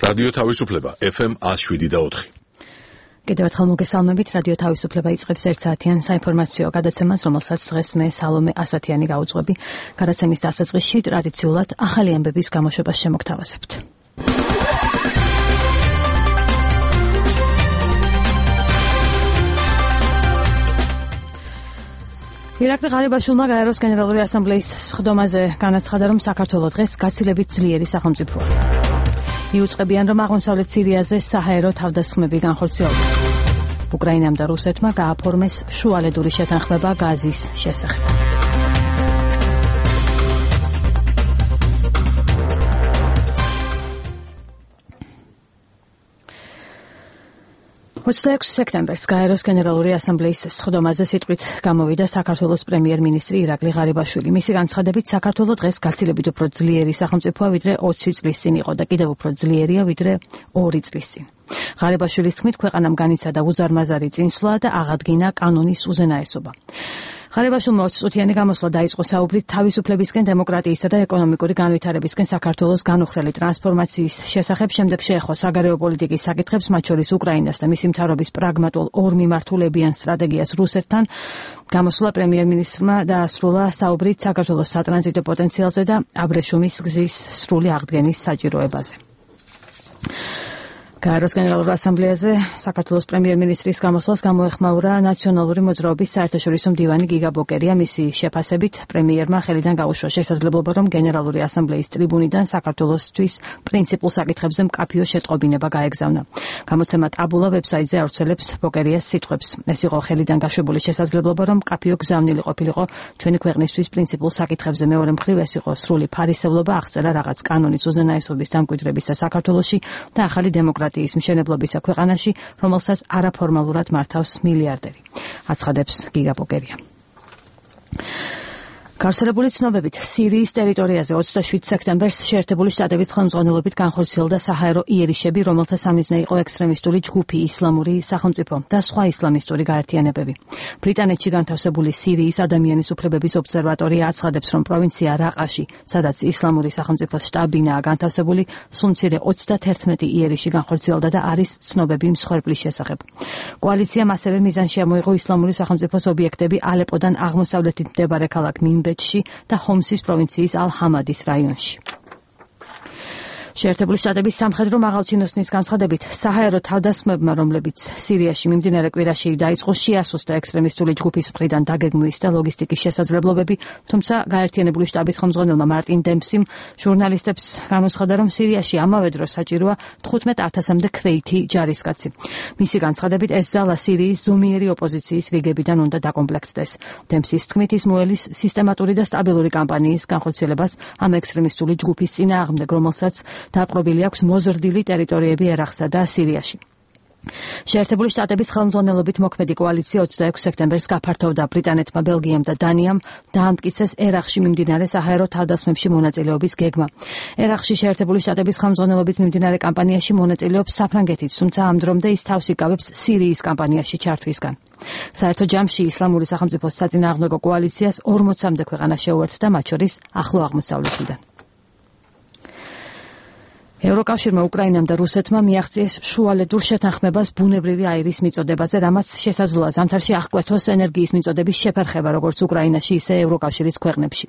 რადიო თავისუფლება FM 107.4. კიდევ ერთხელ მოგესალმებით, რადიო თავისუფლება იწყებს 1 საათიან საინფორმაციო გადაცემას, რომელსაც დღეს მე სალომე ასათიანი გავუძღვები. გადაცემის დასაწყისში ტრადიციულად ახალი ამბების გამოშვებას შემოგთავაზებთ. ირაკლი ღარიბაშვილმა გაეროს გენერალური ასამბლეის სხდომაზე განაცხადა, რომ საქართველო დღეს გაცილებით ძლიერი სახელმწიფოა. იუწყებიან, რომ აღმოსავლეთ სირიაზე საჰაერო თავდასხმები განხორციელდება. უკრაინამ და რუსეთმა გააფორმეს შუალედური შეთანხმება გაზის შესახებ. სექტემბერს გაეროს გენერალური ასამბლეის სხდომაზე სიტყვით გამოვიდა საქართველოს პრემიერ-მინისტრი ირაკლი ღარიბაშვილი. მისი განცხადებით, საქართველო დღეს გაცილებით უფრო ძლიერი სახელმწიფოა, ვიდრე 20 წლის წინ იყო და კიდევ უფრო ძლიერია, ვიდრე 2 წლის წინ. ღარიბაშვილის თქმით, ქვეყანამ განიცადა უზარმაზარი წინსვლა და აღადგინა კანონის უზენაესობა. ღარიბაშვილმა 20 წუთიანი გამოსვლა დაიწყო საუბრით თავისუფლებისკენ, დემოკრატიისა და ეკონომიკური განვითარებისკენ საქართველოს განუხრელი ტრანსფორმაციის შესახებ, შემდეგ შეეხო საგარეო პოლიტიკის საკითხებს, მათ შორის უკრაინას და მისი მთავრობის პრაგმატულ ორმიმართულებიან სტრატეგიას რუსეთთან. გამოსვლა პრემიერ-მინისტრმა დაასრულა საუბრით საქართველოს სატრანზიტო პოტენციალზე და აბრეშუმის გზის სრული აღდგენის საჭიროებაზე. გაეროს გენერალურ ასამბლეაზე საქართველოს პრემიერ-მინისტრის გამოსვლას გამოეხმაურა ნაციონალური მოძრაობის საერთაშორისო მდივანი გიგა ბოკერია. მისი შეფასებით, პრემიერმა ხელიდან გაუშვა შესაძლებლობა, რომ გენერალური ასამბლეის ტრიბუნიდან საქართველოსთვის პრინციპულ საკითხებზე მკაფიო შეტყობინება გაეგზავნა. გამოცემა ტაბულა ვებსაიტზე ავრცელებს ბოკერიას სიტყვებს. ეს იყო ხელიდან გაშვებული შესაძლებლობა, რომ მკაფიო გზავნილი ყოფილიყო ჩვენი ქვეყნისთვის პრინციპულ საკითხებზე. მეორე მხრივ, ეს იყო სრული ფარისევლობა, აღწერა რაღაც კანონის უზენაესობის დამკვიდრებისა საქართველოში და ახალი დემოკრატიის მშენებლობისა ქვეყანაში, რომელსაც არაფორმალურად მართავს მილიარდერი. აცხადებს გიგა ბოკერია. გავრცელებული ცნობებით, სირიის ტერიტორიაზე 27 სექტემბერს შეერთებული შტატების ხელმძღვანელობით განხორციელდა საჰაერო იერიშები, რომელთა სამიზნე იყო ექსტრემისტული ჯგუფი ისლამური სახელმწიფო და სხვა ისლამისტური გაერთიანებები. ბრიტანეთში განთავსებული სირიის ადამიანის უფლებების ობსერვატორია აცხადებს, რომ პროვინცია რაყაში, სადაც ისლამური სახელმწიფოს შტაბინაა განთავსებული, სულ მცირე 31 იერიში განხორციელდა და არის ცნობები მსხვერპლის შესახებ. კოალიციამ ასევე მიზანში ამოიღო ისლამური სახელმწიფოს ობიექტები ალეპოდან აღმოსავლეთით მდებარე ქალაქ ბეჩში და ჰომსის პროვინციის ალ-ჰამადის რაიონში. შეერთებული შტატების სამხედრო მაღალჩინოსნის განცხადებით, საჰაერო თავდასხმებმა, რომლებიც სირიაში მიმდინარე კვირაში დაიწყო, შეასუსტა ექსტრემისტული ჯგუფის მხრიდან დაგეგმვის და ლოგისტიკის შესაძლებლობები, თუმცა გაერთიანებული შტაბის ხელმძღვანელმა მარტინ დემპსიმ ჟურნალისტებს განუცხადა, რომ სირიაში ამავე დროს საჭიროა 15,000-მდე ქვეითი ჯარისკაცი. მისი განცხადებით, ეს ზალა სირიის ზომიერი ოპოზიციის რიგებიდან უნდა დაკომპლექტდეს. დემპსის თქმით, ის მოელის სისტემატური და სტაბილური კამპანიის განხორციელებას ამ ექსტრემისტული ჯგუფის წინააღმდეგ, რომელსაც დაპყრობილი აქვს მოზრდილი ტერიტორიები ერაყსა და სირიაში. შეერთებული შტატების ხელმძღვანელობით მოქმედი კოალიცია 26 სექტემბერს გაფართოვდა ბრიტანეთმა, ბელგიამ და დანიამ დაამტკიცეს ერაყში მიმდინარე საჰაერო თავდასხმებში მონაწილეობის გეგმა. ერაყში შეერთებული შტატების ხელმძღვანელობით მიმდინარე კამპანიაში მონაწილეობს საფრანგეთიც, თუმცა ამ დრომდე ის თავს იკავებს სირიის კამპანიაში ჩართვისგან. საერთო ჯამში ისლამური სახელმწიფოს საწინააღმდეგო კოალიციას 40-მდე ქვეყანა შეუერთდა, მათ შორის ახლო აღმოსავლეთიდან. ევროკავშირმა უკრაინამ და რუსეთმა მიაღწიეს შუალედურ შეთანხმებას ბუნებრივი აირის მიწოდებაზე, რამაც შესაძლოა ზამთარში აღკვეთოს ენერგიის მიწოდების შეფერხება, როგორც უკრაინაში, ისე ევროკავშირის ქვეყნებში.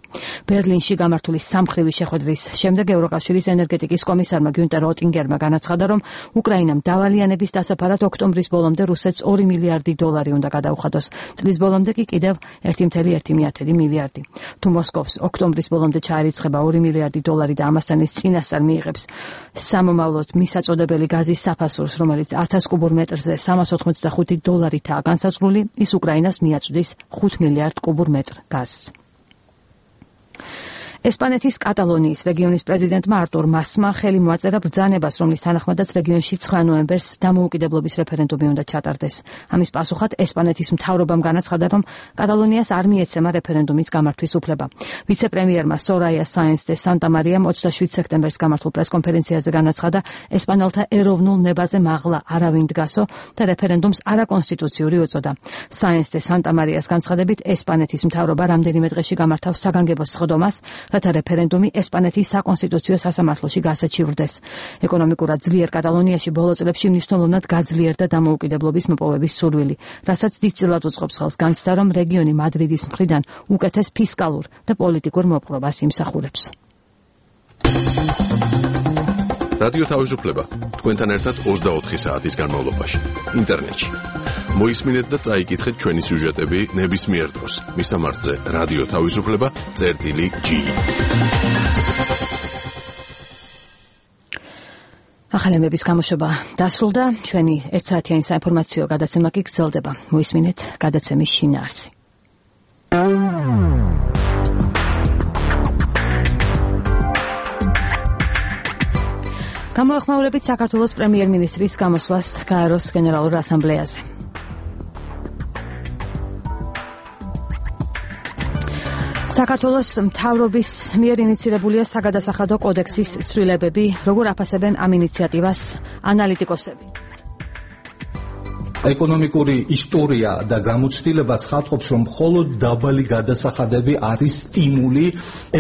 ბერლინში გამართული სამხრივი შეხვედრის შემდეგ ევროკავშირის ენერგეტიკის კომისარმა გიუნტერ ოტინგერმა განაცხადა, რომ უკრაინამ დავალიანების დასაფარად ოქტომბრის ბოლომდე რუსეთს 2 მილიარდი დოლარი უნდა გადაუხადოს. წლის ბოლომდე კი კიდევ 1,1 მილიარდი. თუ მოსკოვს ოქტომბრის ბოლომდე ჩაერიცხება 2 მილიარდი დოლარი და ამასთან ის წინასწარ მიიღებს სამომავლოდ მისაწოდებელი გაზის საფასურს, რომელიც 1000 კუბურ მეტრზე 385 დოლარითაა განსაზღვრული, ის უკრაინას მიაწვდის 5 მილიარდ კუბურ მეტრ გაზს. ესპანეთის კატალონიის რეგიონის პრეზიდენტმა არტურ მასმა ხელი მოაწერა ბრძანებას, რომლის თანახმადაც რეგიონში 9 ნოემბერს დამოუკიდებლობის რეფერენდუმი უნდა ჩატარდეს. ამის პასუხად ესპანეთის მთავრობამ განაცხადა, რომ კატალონიას არ მიეცემა რეფერენდუმის გამართვის უფლება. ვიცე-პრემიერმა სორაია საენს დე სანტამარიამ 27 სექტემბერს გამართულ პრესკონფერენციაზე განაცხადა, ესპანელთა ეროვნულ ნებაზე მაღლა არავინ დგასო და რეფერენდუმს არაკონსტიტუციური უწოდა. საენს დე სანტამარიას განცხადებით, ესპანეთის მთავრობა რამდენიმე დღეში გამართავს საგანგებო სხდომას, რათა რეფერენდუმი ესპანეთის საკონსტიტუციო სასამართლოში გასაჩივრდეს. ეკონომიკურად ძლიერ კატალონიაში ბოლო წლებში მნიშვნელოვნად გაძლიერდა დამოუკიდებლობის მოპოვების სურვილი, რასაც დიდწილად უწყობს ხელს განცდა, რომ რეგიონი მადრიდის მხრიდან უკეთეს ფისკალურ და პოლიტიკურ მოპყრობას იმსახურებს. რადიო თავისუფლება თქვენთან ერთად 24 საათის განმავლობაში ინტერნეტში. მოისმინეთ და წაიკითხეთ ჩვენი სიუჟეტები ნებისმიერ დროს. მისამართზე რადიო თავისუფლება.gi. ახალემების გამოშვება დასრულდა, ჩვენი ერთსაათიანი საინფორმაციო გადაცემა კი გრძელდება. მოისმინეთ გადაცემის შინაარსი. გამოეხმაურებით საქართველოს პრემიერ-მინისტრის გამოსვლას გაეროს გენერალურ ასამბლეაზე. საქართველოს მთავრობის მიერ ინიცირებულია საგადასახადო კოდექსის ცვლილებები, როგორ აფასებენ ამ ინიციატივას ანალიტიკოსები. ეკონომიკური ისტორია და გამოცდილება ცხადყოფს, რომ მხოლოდ დაბალი გადასახადები არის სტიმული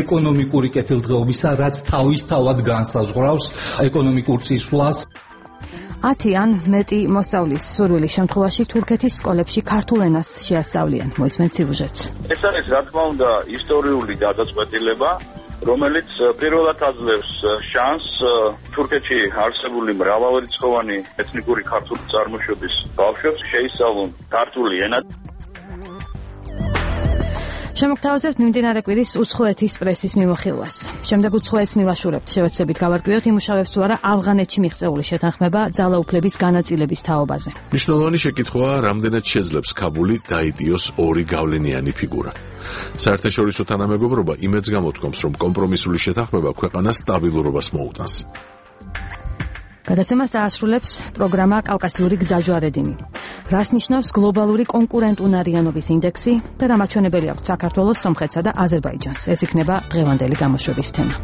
ეკონომიკური კეთილდღეობისა, რაც თავისთავად განსაზღვრავს ეკონომიკურ წინსვლას. 10 ან მეტი მოსწავლის სურვილის შემთხვევაში თურქეთის სკოლებში ქართულ ენას შეასწავლიან. მოისმენთ სიუჟეტს. ეს არის რა თქმა უნდა ისტორიული გადაწყვეტილება, რომელიც პირველად აძლევს შანსს თურქეთში არსებული მრავალრიცხოვანი ეთნიკური ქართული წარმოშობის ბავშვებს შეისწავლონ ქართული ენა. შემოგთავაზებთ მიმდინარე კვირის უცხოეთის პრესის მიმოხილვას. შემდეგ უცხოეთს მივაშურებთ, შევეცდებით გავარკვიოთ იმუშავებს თუ არა ავღანეთში მიღწეული შეთანხმება ძალაუფლების განაწილების თაობაზე. მნიშვნელოვანი შეკითხვაა, რამდენად შეძლებს ქაბული დაიდიოს ორი გავლენიანი ფიგურა. საერთაშორისო თანამეგობრობა იმედს გამოთქვამს, რომ კომპრომისული შეთანხმება ქვეყანას სტაბილურობას მოუტანს. გადაცემას დაასრულებს პროგრამა კავკასიური გზაჯვარედინი. რას ნიშნავს გლობალური კონკურენტუნარიანობის ინდექსი და რა მაჩვენებელი აქვს საქართველოს, სომხეთსა და აზერბაიჯანს. ეს იქნება დღევანდელი გამოშვების თემა.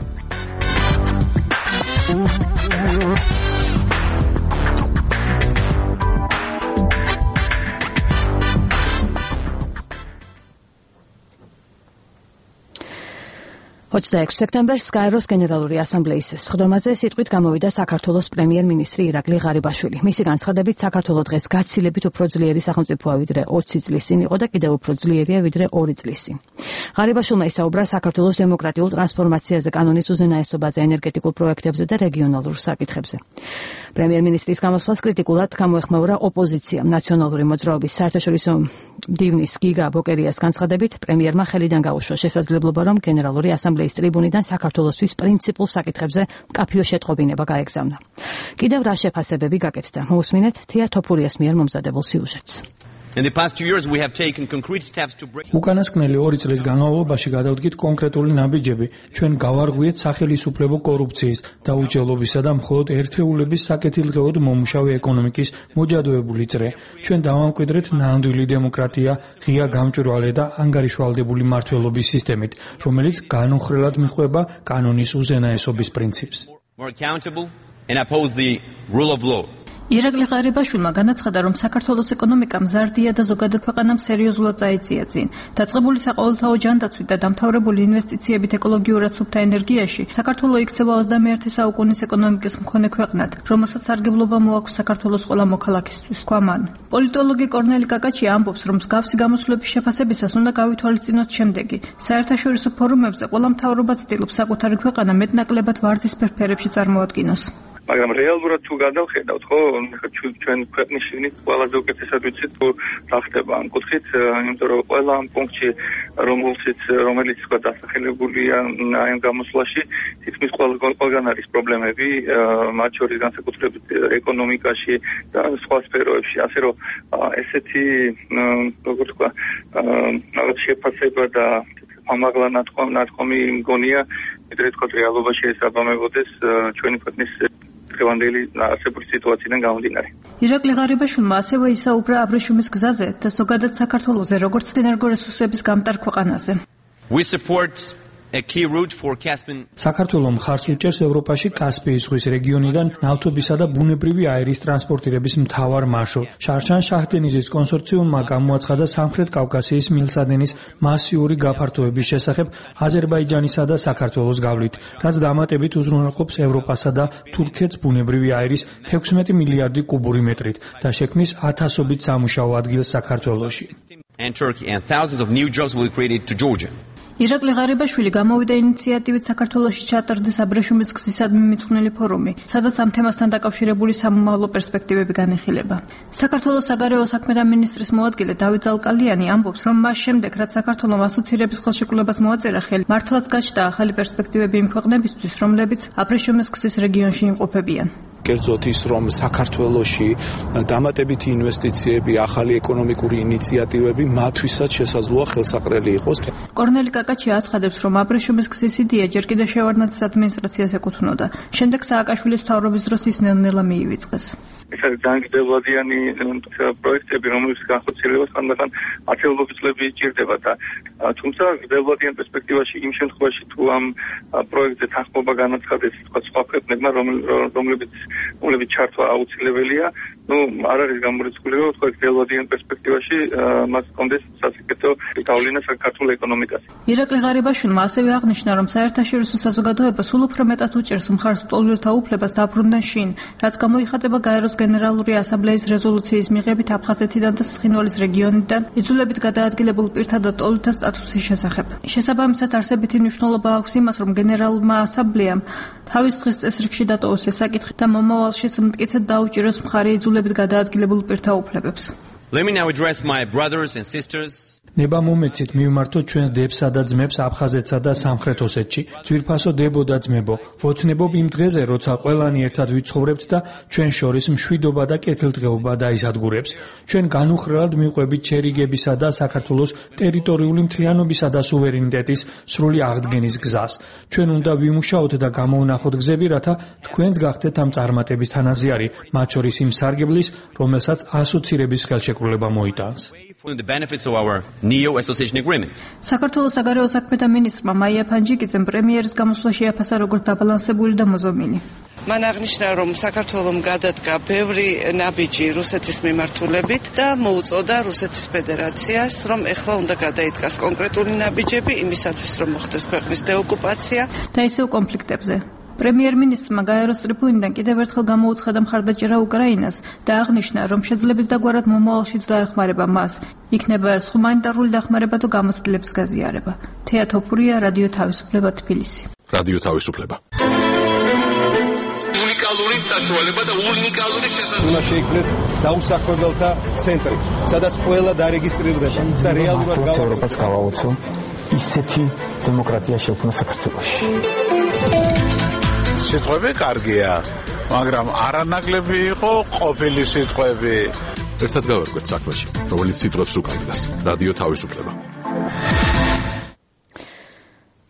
სექტემბერს გაეროს გენერალური ასამბლეის სხდომაზე სიტყვით გამოვიდა საქართველოს პრემიერ-მინისტრი ირაკლი ღარიბაშვილი. მისი განცხადებით, საქართველო დღეს გაცილებით უფრო ძლიერი სახელმწიფოა ვიდრე 20 წლის წინ იყო და კიდევ უფრო ძლიერია ვიდრე 2 წლის წინ. ღარიბაშვილმა ისაუბრა საქართველოს დემოკრატიულ ტრანსფორმაციაზე, კანონის უზენაესობაზე, ენერგეტიკულ პროექტებზე და რეგიონალურ საკითხებზე. პრემიერ-მინისტრის გამოსვლას კრიტიკულად გამოეხმაურა ოპოზიცია. ნაციონალური მოძრაობის საერთაშორისო მდივნის გიგა ბოკერიას განცხადებით, პრემიერმა ხელიდან გაუშვა შესაძლებლობა, რომ გენერალური ასამბლეის ტრიბუნიდან საქართველოსთვის პრინციპულ საკითხებზე მკაფიო შეტყობინება გაეგზავნა. კიდევ რა შეფასებები გაკეთდა? მოусმინეთ თია თოფურიას მიერ მომზადებულ სიუჟეტს. უკანასკნელი 2 წლის განმავლობაში გადავდგით კონკრეტული ნაბიჯები. ჩვენ გავარღვიეთ სახელისუფლებო კორუფციის, დაუჯელობისა და მხოლოდ ერთეულების საკეთილდღეოდ მომუშავე ეკონომიკის მოჯადოებული წრე. ჩვენ დავამკვიდრეთ ნამდვილი დემოკრატია, ღია გამჭვირვალე და ანგარიშვალდებული მმართველობის სისტემით, რომელიც განუხრელად მიჰყვება კანონის უზენაესობის პრინციპს. ირაკლი ღარიბაშვილმა განაცხადა, რომ საქართველოს ეკონომიკა მზარდია და ზოგადად ქვეყანამ სერიოზულად წაიწია წინ. დაწყებული საყოველთაო ჯანდაცვით და დამთავრებული ინვესტიციებით ეკოლოგიურად სუფთა ენერგიაში, საქართველო იქცევა 21 საუკუნის ეკონომიკის მქონე ქვეყნად, რომელსაც სარგებლობა მოაქვს საქართველოს ყველა მოქალაქისთვის. თქვა მან. პოლიტოლოგი კორნელი კაკაჩია ამბობს, რომ მსგავსი გამოსვლების შეფასებისას უნდა გავითვალისწინოთ შემდეგი. საერთაშორისო ფორუმებზე ყველა მთავრობა ცდილობს საკუთარი ქვეყანა მეტნაკლებად ვარდისფერ ფერებში წარმოადგინოს. მაგრამ რეალურად თუ გადავხედავთ, ხო, ჩვენ ქვეყნის შიგნით ყველაზე უკეთესად ვიცით თუ რა ხდება ამ კუთხით, იმიტომ რომ ყველა ამ პუნქტში, რომელიც თქვა დასახელებულია ამ გამოსვლაში, თითქმის ყველგან არის პრობლემები, მათ შორის განსაკუთრებით ეკონომიკაში და სხვა სფეროებში, ასე რომ ესეთი, როგორ თქვა, რაღაც შეფასება და ამაღლა ნათქვამი მგონია, ვიდრე თქვა რეალობაში ეს აბამებოდეს ჩვენი ქვეყნის დღევანდელი არსებული სიტუაციიდან გამომდინარე. ირაკლი ღარიბაშვილმა ასევე ისაუბრა აბრეშუმის გზაზე და ზოგადად საქართველოზე, როგორც ენერგორესურსების გამტარ ქვეყანაზე. We support საქართველოს მხარს უჭერს ევროპაში კასპიის ზღვის რეგიონიდან ნავთობისა და ბუნებრივი აირის ტრანსპორტირების მთავარ მარშრუტ. შარშან-შაჰდენიზის კონსორციუმმა გამოაცხადა სამხრეთ კავკასიის მილსადენის მასიური გაფართოების შესახებ აზერბაიჯანისა და საქართველოს გავლით, რაც დამატებით უზრუნველყოფს ევროპასა და თურქეთს ბუნებრივი აირის 16 მილიარდი კუბური მეტრით და შექმნის ათასობით სამუშაო ადგილს საქართველოში. And Turkey and thousands of new jobs will be created to Georgia. ირაკლი ღარიბაშვილი გამოვიდა ინიციატივით საქართველოში ჩატარდეს აბრეშუმის გზისადმი მიძღვნილი ფორუმი, სადაც ამ თემასთან დაკავშირებული სამომავლო პერსპექტივები განიხილება. საქართველოს საგარეო საქმეთა მინისტრის მოადგილე დავით ზალკალიანი ამბობს, რომ მას შემდეგ, რაც საქართველოს ასოცირების ხელშეკრულებას მოაწერა ხელი, მართლაც გაჩნდა ახალი პერსპექტივები იმ ქვეყნებისთვის, რომლებიც აბრეშუმის გზის რეგიონში იმყოფებიან. კერძოდ ის, რომ საქართველოში დამატებითი ინვესტიციები, ახალი ეკონომიკური ინიციატივები მათთვისაც შესაძლოა ხელსაყრელი იყოს. კორნელი კაკაჩი აცხადებს, რომ აბრეშუმის გზის იდეა ჯერ კიდევ შევარდნაძის ადმინისტრაციას ეკუთვნოდა. შემდეგ სააკაშვილის მთავრობის დროს ის ნელ-ნელა მიივიწყეს. ეს არის ძალიან გრძელვადიანი პროექტები, რომლებიც განხორციელებას ხანდახან ათეულობით წლები იჭირდება და თუმცა გრძელვადიან პერსპექტივაში იმ შემთხვევაში თუ ამ პროექტზე თანხმობა განაცხადეს სხვა ქვეყნებმა, რომლებიც ჩართვა აუცილებელია, არ არის გამორიცხული, რომ თქვა გრძელვადიან პერსპექტივაში მას კონდეს სასიკეთო გავლენა საქართველოს ეკონომიკაზე. ირაკლი ღარიბაშვილმა ასევე აღნიშნა, რომ საერთაშორისო საზოგადოება სულ უფრო მეტად უჭერს მხარს ლტოლვილთა უფლებას დაბრუნდნენ შინ, რაც გამოიხატება გაეროს გენერალური ასამბლეის რეზოლუციის მიღებით აფხაზეთიდან და ცხინვალის რეგიონიდან იძულებით გადაადგილებულ პირთა და ლტოლვილთა სტატუსის შესახებ. შესაბამისად, არსებითი მნიშვნელობა აქვს იმას, რომ გენერალურმა ასამბლეამ თავის დღის წესრიგში დატოვოს ეს საკითხი და მომავალში მტკიცედ დაუჭიროს მხარი იძულებით გადაადგილებულ პირთა უფლებებს. Let me now address my brothers and sisters. ნება მომეცით მივმართოთ ჩვენს დებსა და ძმებს აფხაზეთსა და სამხრეთ ოსეთში. ძვირფასო დებო და ძმებო, ვოცნებობ იმ დღეზე, როცა ყველანი ერთად ვიცხოვრებთ და ჩვენ შორის მშვიდობა და კეთილდღეობა დაისადგურებს. ჩვენ განუხრელად მივყვებით შერიგებისა და საქართველოს ტერიტორიული მთლიანობისა და სუვერენიტეტის სრული აღდგენის გზას. ჩვენ უნდა ვიმუშაოთ და გამოვნახოთ გზები, რათა თქვენც გახდეთ ამ წარმატების თანაზიარი, მათ შორის იმ სარგებლის, რომელსაც ასოცირების ხელშეკრულება მოიტანს. The benefits of our NEO association agreement. საქართველოს საგარეო საქმეთა მინისტრმა მაია ფანჯიკიძემ პრემიერის გამოსვლა შეაფასა როგორც დაბალანსებული და მოზომილი. მან აღნიშნა, რომ საქართველომ გადადგა ბევრი ნაბიჯი რუსეთის მიმართულებით და მოუწოდა რუსეთის ფედერაციას, რომ ეხლა უნდა გადაიდგას კონკრეტული ნაბიჯები იმისათვის, რომ მოხდეს ქვეყნის დეოკუპაცია და ისევ კონფლიქტებზე. პრემიერ-მინისტრმა გაეროს ტრიბუნიდან კიდევ ერთხელ გამოუცხადა მხარდაჭერა უკრაინას და აღნიშნა, რომ შეძლებს დაგვარად მომავალშიც დაეხმარება მას. იქნება ეს ჰუმანიტარული დახმარება თუ გამოცდილების გაზიარება. თეა თოფურია, რადიო თავისუფლება, თბილისი. რადიო თავისუფლება. უნიკალური საშუალება და უნიკალური შესაძლებლობა შეიქმნეს დაუსაქმებელთა ცენტრი, სადაც ყველა დარეგისტრირდება და რეალურად ევროპას გავაოცო ისეთი დემოკრატია შექმნა საქართველოში. სიტყვები კარგია, მაგრამ არანაკლები იყო ყოფილი სიტყვები. ერთად გავარკვეთ საქმეში, რომელიც სიტყვებს უკავშირდება. რადიო თავისუფლება.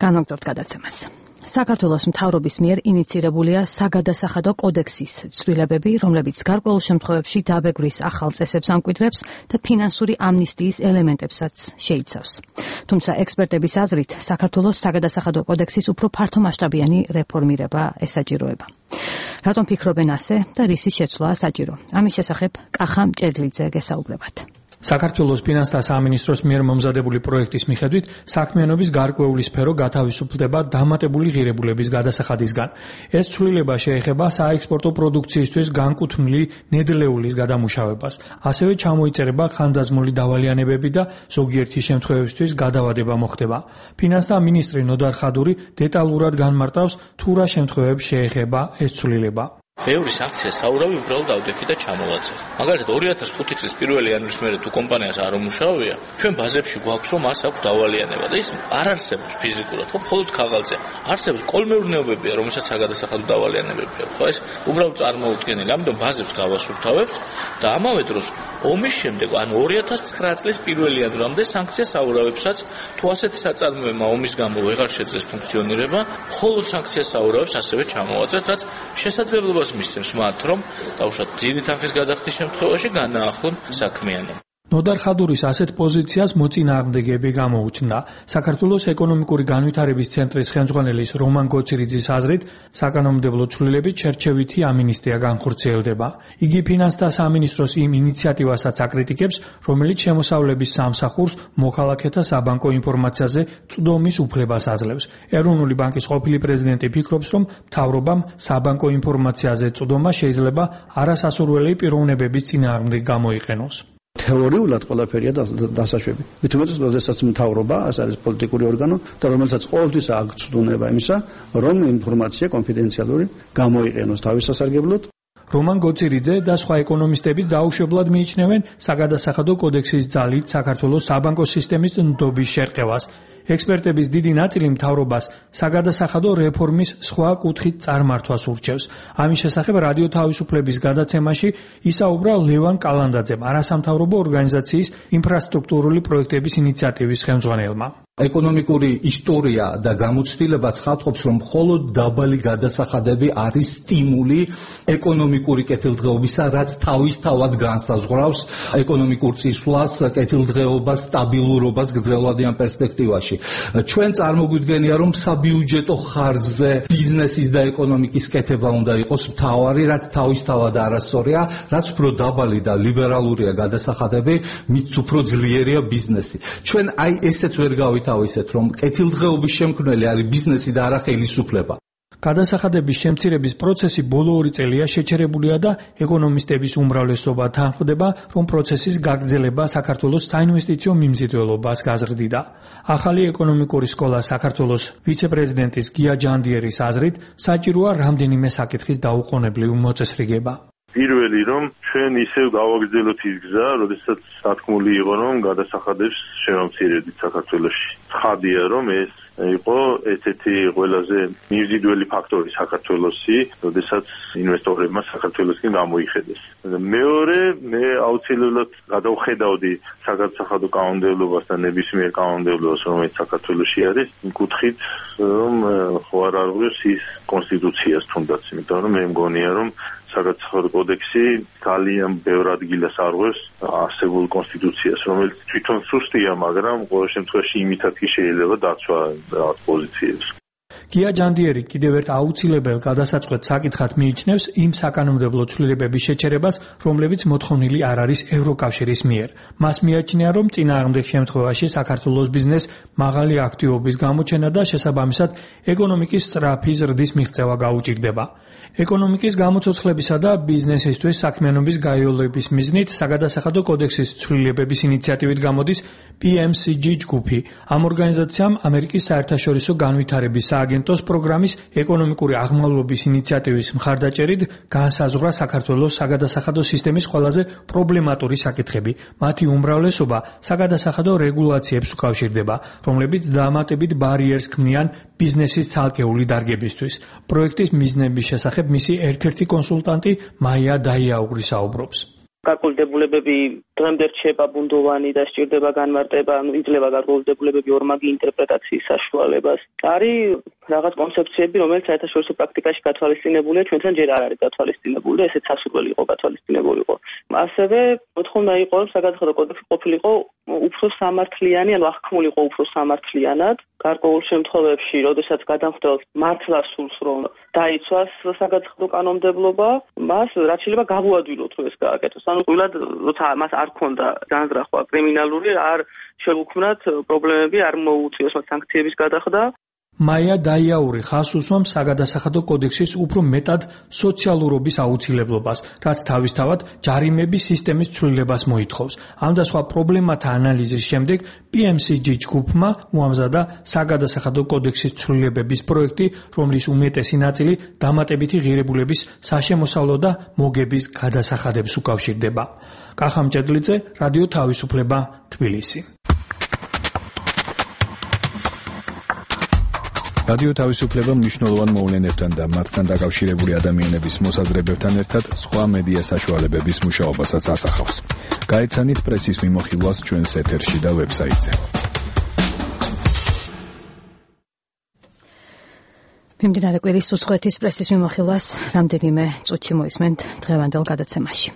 განვაგრძობთ გადაცემას. საქართველოს მთავრობის მიერ ინიცირებულია საგადასახადო კოდექსის ცვლილებები, რომლებიც გარკვეულ შემთხვევებში დაბეგვრის ახალ წესებს ამკვიდრებს და ფინანსური ამნისტიის ელემენტებსაც შეიცავს. თუმცა ექსპერტების აზრით, საქართველოს საგადასახადო კოდექსის უფრო ფართომასშტაბიანი რეფორმირება ესაჭიროება. რატომ ფიქრობენ ასე და რისი შეცვლაა საჭირო? ამის შესახებ კახა მჭედლიძე გესაუბრებათ. საქართველოს ფინანსთა სამინისტროს მიერ მომზადებული პროექტის მიხედვით საქმიანობის გარკვეული სფერო გათავისუფლდება დამატებული ღირებულების გადასახადისგან. ეს ცვლილება შეეხება საექსპორტო პროდუქციისთვის განკუთვნილი ნედლეულის გადამუშავებას. ასევე ჩამოიწერება ხანდაზმული დავალიანებები და ზოგიერთი შემთხვევებისთვის გადავადება მოხდება. ფინანსთა მინისტრი ნოდარ ხადური დეტალურად განმარტავს თუ რა შემთხვევებს შეეხება ეს ცვლილება. ბევრი საქცია საურავი უბრალოდ ავდექი და ჩამოვაწერ. მაგალითად 2005 წლის 1 იანვრის მერე თუ კომპანიას არ უმუშავია, ჩვენ ბაზებში გვაქვს რომ მას აქვს დავალიანება და ის არ არსებობს ფიზიკურად, ხო, მხოლოდ ქაღალდზე. არსებობს კოლმეურნეობებია, რომელსაც საგადასახადო დავალიანებები აქვს. ხო, ეს უბრალოდ წარმოუდგენელი. ამიტომ ბაზებს გავასუფთავებთ და ამავე დროს ომის შემდეგ, ანუ 2009 წლის 1 იანვრამდე სანქცია საურავებსაც თუ ასეთი საწარმოებმა ომის გამო ვეღარ შეძლეს ფუნქციონირება, მხოლოდ სანქცია საურავებს ასევე ჩამოვაწერთ, რაც შესაძლებლობას მისცემს მათ, რომ დაუშვათ ძირი თანხის გადახდის შემთხვევაში განაახლონ საქმიანობა. ნოდარ ხადურის ასეთ პოზიციას მოწინააღმდეგეები გამოუჩნდა. საქართველოს ეკონომიკური განვითარების ცენტრის ხელმძღვანელის რომან გოცირიძის აზრით, საკანონმდებლო ცვლილებით შერჩევითი ამინისტია განხორციელდება. იგი ფინანსთა სამინისტროს იმ ინიციატივასაც აკრიტიკებს, რომელიც შემოსავლების სამსახურს მოქალაქეთა საბანკო ინფორმაციაზე წვდომის უფლებას აძლევს. ეროვნული ბანკის ყოფილი პრეზიდენტი ფიქრობს, რომ მთავრობამ საბანკო ინფორმაციაზე წვდომა შეიძლება არასასურველი პიროვნებების წინააღმდეგ გამოიყენოს. თეორიულად ყველაფერია დასაშვები. მით უმეტეს, როდესაც მთავრობა, ეს არის პოლიტიკური ორგანო და რომელსაც ყოველთვის აქვს ცდონება იმისა, რომ ინფორმაცია კონფიდენციალური გამოიყენოს თავის სასარგებლოდ. რომან გოცირიძე და სხვა ეკონომისტები დაუშვებლად მიიჩნევენ საგადასახადო კოდექსის ძალით საქართველოს საბანკო სისტემის ნდობის შერყევას. ექსპერტების დიდი ნაწილი მთავრობას საგადასახადო რეფორმის სხვა კუთხით წარმართვას ურჩევს. ამის შესახებ რადიო თავისუფლების გადაცემაში ისაუბრა ლევან კალანდაძემ, არასამთავრობო ორგანიზაციის ინფრასტრუქტურული პროექტების ინიციატივის ხელმძღვანელმა. ეკონომიკური ისტორია და გამოცდილება ცხადყოფს, რომ მხოლოდ დაბალი გადასახადები არის სტიმული ეკონომიკური კეთილდღეობისა, რაც თავისთავად განსაზღვრავს ეკონომიკურ წისვლას, კეთილდღეობას, სტაბილურობას გრძელვადიან პერსპექტივაში. ჩვენ წარმოგვიდგენია, რომ საბიუჯეტო ხარჯზე ბიზნესის და ეკონომიკის კეთება უნდა იყოს მთავარი, რაც თავისთავად არასწორია, რაც უფრო დაბალი და ლიბერალურია გადასახადები, მით უფრო ძლიერია ბიზნესი. ჩვენ აი ესეც ვერ თავისეთ, რომ კეთილდღეობის შემქმნელი არის ბიზნესი და არა ხელისუფლება. გადასახადების შემცირების პროცესი ბოლო 2 წელია შეჩერებულია და ეკონომისტების უმრავლესობა თანხმდება, რომ პროცესის გაგრძელება საქართველოს საინვესტიციო მიმზიდველობას გაზრდიდა. ახალი ეკონომიკური სკოლა საქართველოს ვიცე-პრეზიდენტის გია ჯანდიერის აზრით, საჭიროა რამდენიმე საკითხის დაუყოვნებლივ მოწესრიგება. პირველი, რომ ჩვენ ისევ გავაგრძელოთ ის გზა, როდესაც სათქმული იყო, რომ გადასახადებს შევამცირებდით საქართველოში. ცხადია, რომ ეს იყო ერთ-ერთი ყველაზე მიმზიდველი ფაქტორი საქართველოსი, როდესაც ინვესტორებმა საქართველოსკენ გამოიხედეს. მეორე, მე აუცილებლად გადავხედავდი საგადასახადო კანონმდებლობას და ნებისმიერ კანონმდებლობას, რომელიც საქართველოში არის, იმ კუთხით, რომ ხო არ არღვევს ის კონსტიტუციას თუნდაც, იმიტომ რომ მე მგონია, რომ საგადასახადო კოდექსი ძალიან ბევრ ადგილას არღვევს არსებულ კონსტიტუციას, რომელიც თვითონ სუსტია, მაგრამ ყოველ შემთხვევაში იმითაც კი შეიძლება დაცვა რაღაც პოზიციებს. გია ჯანდიერი კიდევ ერთ აუცილებელ გადასაწყვეტ საკითხად მიიჩნევს იმ საკანონმდებლო ცვლილებების შეჩერებას, რომლებიც მოთხოვნილი არ არის ევროკავშირის მიერ. მას მიაჩნია, რომ წინააღმდეგ შემთხვევაში საქართველოს ბიზნეს მაღალი აქტივობის გამოჩენა და შესაბამისად ეკონომიკის სწრაფი ზრდის მიღწევა გაუჭირდება. ეკონომიკის გამოცოცხლებისა და ბიზნესისთვის საქმიანობის გაიოლების მიზნით საგადასახადო კოდექსის ცვლილებების ინიციატივით გამოდის PMCG ჯგუფი. ამ ორგანიზაციამ ამერიკის საერთაშორისო განვითარების სააგენტოს პროგრამის ეკონომიკური აღმავლობის ინიციატივის მხარდაჭერით განსაზღვრა საქართველოს საგადასახადო სისტემის ყველაზე პრობლემატური საკითხები. მათი უმრავლესობა საგადასახადო რეგულაციებს უკავშირდება, რომლებიც დამატებით ბარიერს ქმნიან ბიზნესის ცალკეული დარგებისთვის. პროექტის მიზნების შესახებ მისი ერთ-ერთი კონსულტანტი მაია დაიაუგრი საუბრობს. გარკვეულებები დღემდე რჩება ბუნდოვანი და სჭირდება განმარტება, იძლევა გარკვეულებები ორმაგი ინტერპრეტაციის საშუალებას. არის რაღაც კონცეფციები, რომელიც საერთაშორისო პრაქტიკაში გათვალისწინებულია, ჩვენთან ჯერ არ არის გათვალისწინებული და ესეც სასურველი იყო გათვალისწინებულიყო. ასევე მოთხოვნა იყო, რომ საგადასახადო კოდექსი ყოფილიყო უფრო სამართლიანი, ანუ აღქმულიყო უფრო სამართლიანად. გარკვეულ შემთხვევებში, როდესაც გადამხდელს მართლა სურს, რომ დაიცვას საგადასახადო კანონმდებლობა, მას რაც შეიძლება გავუადვილოთ, რომ ეს გააკეთოს. ანუ ყოველად, როცა მას არ ქონდა განზრახვა კრიმინალური, არ შეუქმნათ პრობლემები, არ მოუწიოს მათ სანქციების გადახდა. მაია დაიაური ხაზს უსვამს საგადასახადო კოდექსის უფრო მეტად სოციალურობის აუცილებლობას, რაც თავისთავად ჯარიმების სისტემის ცვლილებას მოითხოვს. ამ და სხვა პრობლემათა ანალიზის შემდეგ PMCG ჯგუფმა უამზადა საგადასახადო კოდექსის ცვლილებების პროექტი, რომლის უმეტესი ნაწილი დამატებითი ღირებულების საშემოსავლო და მოგების გადასახადებს უკავშირდება. კახა მჭედლიძე, რადიო თავისუფლება, თბილისი. რადიო თავისუფლება მნიშვნელოვან მოვლენებთან და მათთან დაკავშირებული ადამიანების მოსაზრებებთან ერთად სხვა მედია საშუალებების მუშაობასაც ასახავს. გაეცანით პრესის მიმოხილვას ჩვენს ეთერში და ვებსაიტზე. მიმდინარე კვირის უცხოეთის პრესის მიმოხილვას რამდენიმე წუთში მოისმენთ დღევანდელ გადაცემაში.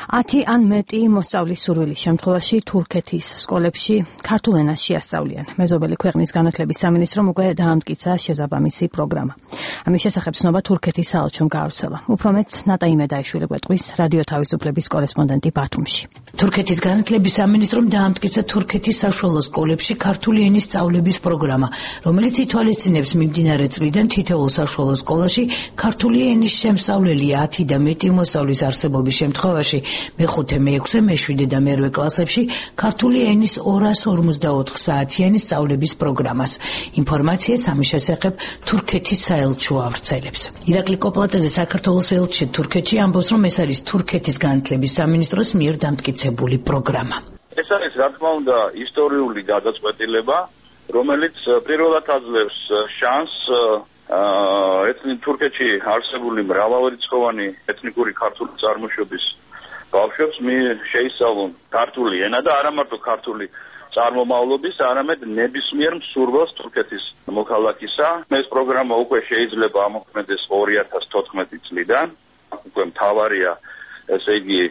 10 ან მეტი მოსწავლის სურვილის შემთხვევაში თურქეთის სკოლებში ქართულ ენას შეასწავლიან. მეზობელი ქვეყნის განათლების სამინისტრომ უკვე დაამტკიცა შესაბამისი პროგრამა. ამის შესახებ ცნობა თურქეთის საელჩომ გაავრცელა. უფრო მეტს ნატა იმედაიშვილი გვეტყვის რადიო თავისუფლების კორესპონდენტი ბათუმში. თურქეთის განათლების სამინისტრომ დაამტკიცა თურქეთის საშუალო სკოლებში ქართული ენის სწავლების პროგრამა, რომელიც ითვალისწინებს მიმდინარე წლიდან თითოეულ საშუალო სკოლაში ქართული ენის შემსწავლელია 10 და მეტი მოსწავლის არსებობის შემთხვევაში მე-5, მე-6, მე-7 და მე-8 კლასებში ქართული ენის 254 საათიანი სწავლების პროგრამას. ინფორმაციას ამის შესახებ თურქეთის საელჩო ავრცელებს. ირაკლი კოპლატაძე საქართველოს ელჩი თურქეთში ამბობს, რომ ეს არის თურქეთის განათლების სამინისტროს მიერ დამტკიცებული პროგრამა. ეს არის რა თქმა უნდა ისტორიული გადაწყვეტილება, რომელიც პირველად აძლევს შანსს თურქეთში არსებული მრავალრიცხოვანი ეთნიკური ქართული წარმოშობის ბავშვებს შეისწავლონ ქართული ენა და არა მარტო ქართული წარმომავლობის, არამედ ნებისმიერ მსურველს თურქეთის მოქალაქისა. ეს პროგრამა უკვე შეიძლება ამოქმედეს 2014 წლიდან. უკვე მთავარია, ესე იგი,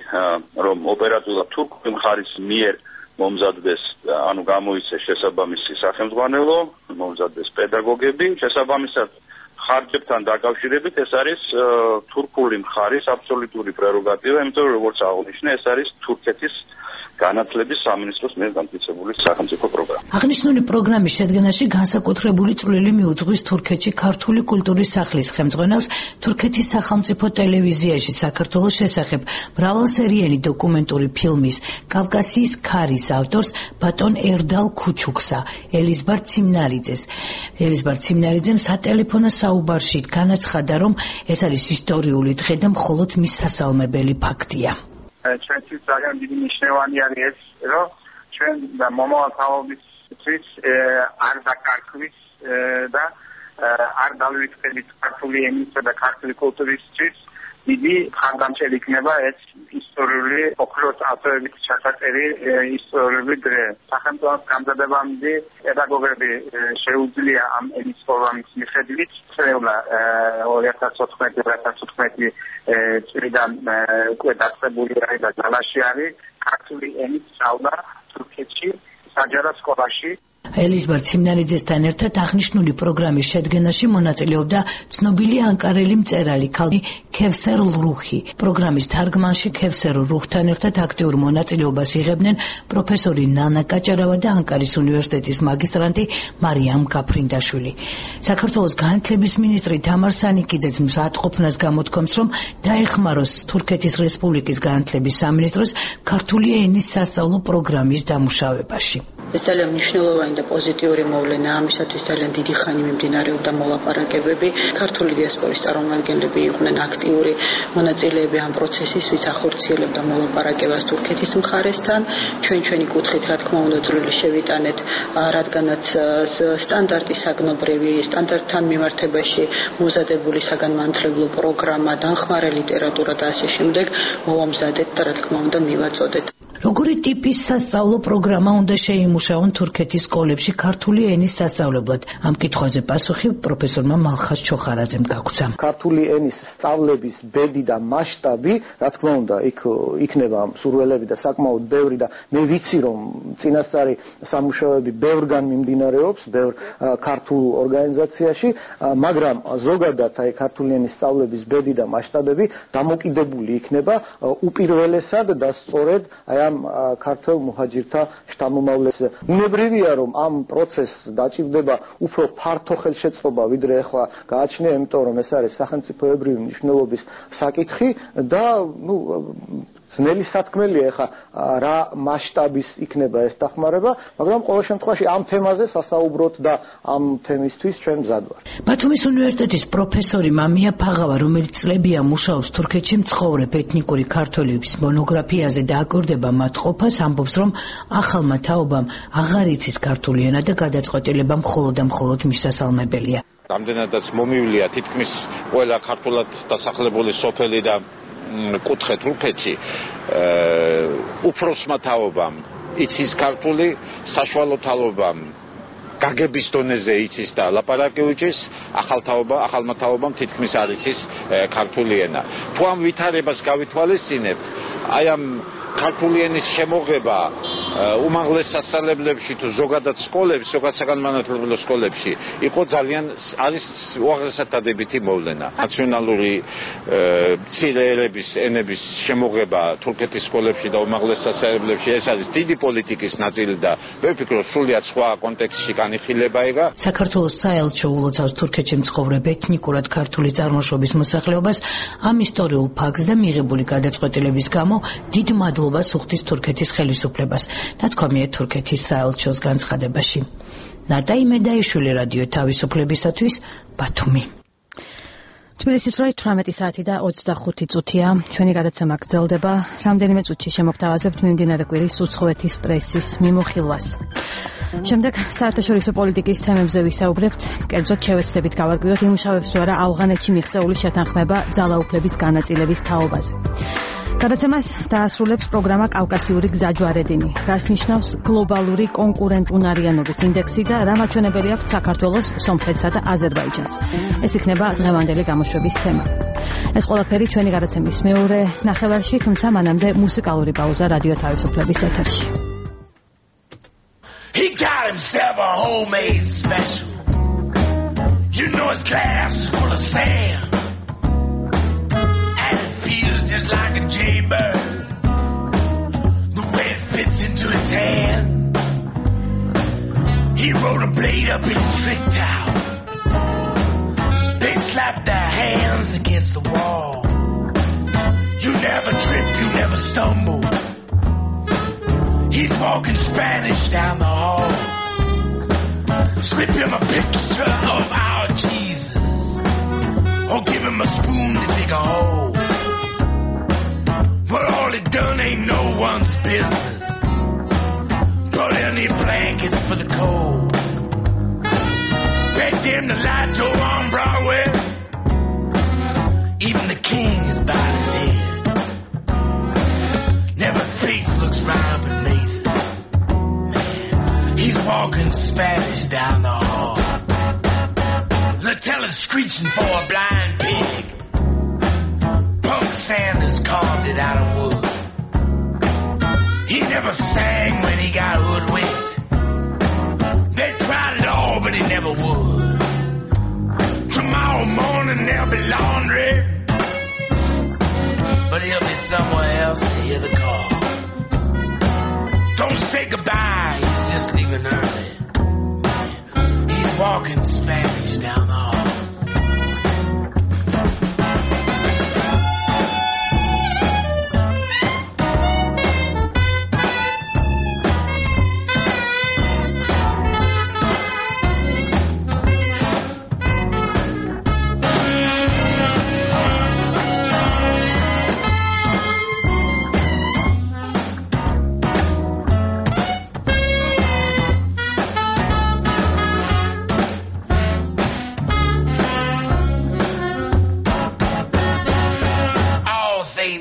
რომ ოპერატიულად თურქული მხარის მიერ მომზადდეს, ანუ გამოიცეს შესაბამისი სახელმძღვანელო, მომზადდეს პედაგოგები, შესაბამისად ხარჯებთან დაკავშირებით ეს არის თურქული მხარის აბსოლუტური პრეროგატივა, იმიტომ რომ როგორც აღნიშნე, ეს არის თურქეთის განათლების სამინისტროს მიერ დამტკიცებული სახელმწიფო პროგრამა. აღნიშნული პროგრამის შედგენაში განსაკუთრებული წვლილი მიუძღვის თურქეთში ქართული კულტურის სახლის ხელმძღვანელს თურქეთის სახელმწიფო ტელევიზიაში საქართველოს შესახებ მრავალსერიანი დოკუმენტური ფილმის კავკასიის ქარის ავტორს ბატონ ერდალ ქუჩუქსა ელიზბარ ციმნარიძეს. ელიზბარ ციმნარიძემ სატელეფონო საუბარში განაცხადა, რომ ეს არის ისტორიული დღე და მხოლოდ მის სასალმებელი ფაქტია. ჩვენთვის ძალიან დიდი მნიშვნელოვანი არის ეს, რომ ჩვენ მომავალ თაობისთვის არ დაკარგვის და არ დავივიწყდებით ქართული ენისა და ქართული კულტურისთვის დიდი ხარდამჭერი იქნება ეს ისტორიული ოქროს ათოებით ჩასაწერი ისტორიული დღე. სახელმწიფოს გამზადებამდე პედაგოგები შეუძლია ამ ენის პროგრამის მიხედვით წევლა 2014 წლიდან უკვე დაწყებული არის და ძალაში არის ქართული ენის სწავლა თურქეთში საჯარო სკოლაში. ელიზბარ ციმნარიძესთან ერთად აღნიშნული პროგრამის შედგენაში მონაწილეობდა ცნობილი ანკარელი მწერალი ქალი ქევსერ ლრუხი. პროგრამის თარგმანში ქევსერ ლრუხთან ერთად აქტიურ მონაწილეობას იღებდნენ პროფესორი ნანა კაჭარავა და ანკარის უნივერსიტეტის მაგისტრანტი მარიამ გაფრინდაშვილი. საქართველოს განათლების მინისტრი თამარ სანიკიძეც მზადყოფნას გამოთქვამს, რომ დაეხმაროს თურქეთის რესპუბლიკის განათლების სამინისტროს ქართული ენის სასწავლო პროგრამის დამუშავებაში. ეს ძალიან მნიშვნელოვანი და პოზიტიური მოვლენაა, ამისათვის ძალიან დიდი ხანი მიმდინარეობდა მოლაპარაკებები. ქართული დიასპორის წარმომადგენლები იყვნენ აქტიური მონაწილეები ამ პროცესისთვის, ახორციელებდა მოლაპარაკებას თურქეთის მხარესთან. ჩვენი კუთხით, რა თქმა უნდა, წვლილი შევიტანეთ, რადგანაც სტანდარტი საგნობრივი, სტანდარტთან მიმართებაში მომზადებული საგანმანათლებლო პროგრამა, დამხმარე ლიტერატურა და ასე შემდეგ მოვამზადეთ და რა თქმა უნდა მივაწოდეთ. როგორი ტიპის სასწავლო პროგრამა უნდა შეიმუშაონ თურქეთის სკოლებში ქართული ენის სასწავლებლად? ამ კითხვაზე პასუხი პროფესორმა მალხაზ ჩოხარაძემ გაგვცა. ქართული ენის სწავლების ბედი და მასშტაბი, რა თქმა უნდა, იქ იქნება მსურველები და საკმაოდ ბევრი და მე ვიცი, რომ წინასწარი სამუშაოები ბევრგან მიმდინარეობს, ბევრ ქართულ ორგანიზაციაში, მაგრამ ზოგადად აი ქართული ენის სწავლების ბედი და მასშტაბები დამოკიდებული იქნება უპირველესად და სწორედ აი ამ ქართულ მუჰაჯირთა შთამომავლებს. უნებრივია, რომ ამ პროცესს დაჭირდება უფრო ფართო ხელშეწყობა, ვიდრე ახლა გააჩნია, იმიტომ რომ ეს არის სახელმწიფოებრივი მნიშვნელობის საკითხი და ძნელი სათქმელია ახლა რა მასშტაბის იქნება ეს დახმარება, მაგრამ ყოველ შემთხვევაში ამ თემაზე სასაუბროთ და ამ თემისთვის ჩვენ მზად ვართ. ბათუმის უნივერსიტეტის პროფესორი მამია ფაღავა, რომელიც წლებია მუშაობს თურქეთში მცხოვრებ ეთნიკური ქართველების მონოგრაფიაზე და აკვირდება მათ ყოფას, ამბობს, რომ ახალმა თაობამ აღარ იცის ქართული ენა და გადაწყვეტილება მხოლოდ და მხოლოდ მისასალმებელია. რამდენადაც მომივლია თითქმის ყველა ქართულად დასახლებული სოფელი და კუთხე თურქეთში უფროსმა თაობამ იცის ქართული, საშუალო თაობამ გაგების დონეზე იცის და ლაპარაკი უჭის, ახალმა თაობამ თითქმის არ იცის ქართული ენა. თუ ამ ვითარებას გავითვალისწინებთ, აი ამ ქართული ენის შემოღება უმაღლეს სასწავლებლებში თუ ზოგადად სკოლებში, ზოგადად საგანმანათლებლო სკოლებში იყო ძალიან არის უაღრესად დადებითი მოვლენა. ნაციონალური მცირე ერების ენების შემოღება თურქეთის სკოლებში და უმაღლეს სასწავლებლებში ეს არის დიდი პოლიტიკის ნაწილი და მე ვფიქრობ სრულიად სხვა კონტექსტში განიხილება იგა. საქართველოს საელჩო ულოცავს თურქეთში მცხოვრებ ეთნიკურად ქართული წარმოშობის მოსახლეობას ამ ისტორიულ ფაქტს და მიღებული გადაწყვეტილების გამო დიდ მადლობას უხდის თურქეთის ხელისუფლებას. ნათქვამია თურქეთის საელჩოს განცხადებაში. ნატა იმედაიშვილი რადიო თავისუფლებისათვის ბათუმი. თბილისის 18 საათი და 25 წუთია. ჩვენი გადაცემა გრძელდება. რამდენიმე წუთში შემოგთავაზებთ მიმდინარე კვირის უცხოეთის პრესის მიმოხილვას. შემდეგ საერთაშორისო პოლიტიკის თემებზე ვისაუბრებთ. კერძოდ შევეცდებით გავარკვიოთ იმუშავებს თუ არა ავღანეთში მიღწეული შეთანხმება ძალაუფლების განაწილების თაობაზე. გადაცემას დაასრულებს პროგრამა კავკასიური გზაჯვარედინი, რას ნიშნავს გლობალური კონკურენტუნარიანობის ინდექსი და რა მაჩვენებელი აქვს საქართველოს, სომხეთსა და აზერბაიჯანს. ეს იქნება დღევანდელი გამოშვების თემა. ეს ყველაფერი ჩვენი გადაცემის მეორე ნახევარში, თუმცა მანამდე მუსიკალური პაუზა რადიო თავისუფლების ეთერში. He got himself a homemade special. You know his glass is full of sand. Just like a jaybird, the way it fits into his hand. He rolled a blade up in his trick towel. They slapped their hands against the wall. You never trip, you never stumble. He's walking Spanish down the hall. Slip him a picture of our Jesus, or give him a spoon to dig a hole. But all it done ain't no one's business. Brought any blankets for the cold. Begged him to light Joe on Broadway. Even the king has bowed his head. Never face looks round but Mason. Man, he's walking Spanish down the hall. Latella's screeching for a blind pig. Punk Sanders carved it out of wood. He never sang when he got hoodwinked. They tried it all, but he never would. Tomorrow morning there'll be laundry, but he'll be somewhere else to hear the call. Don't say goodbye, he's just leaving early. He's walking Spanish down the hall.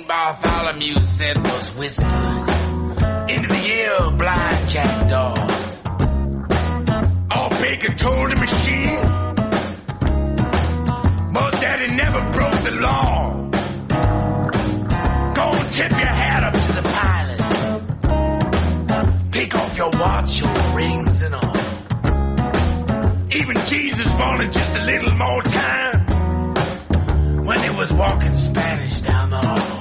Bartholomew said was whispers into the ear of blind jackdaws. All Baker told the machine was that he never broke the law. Go and tip your hat up to the pilot. Take off your watch, your rings and all. Even Jesus wanted just a little more time when he was walking Spanish down the hall.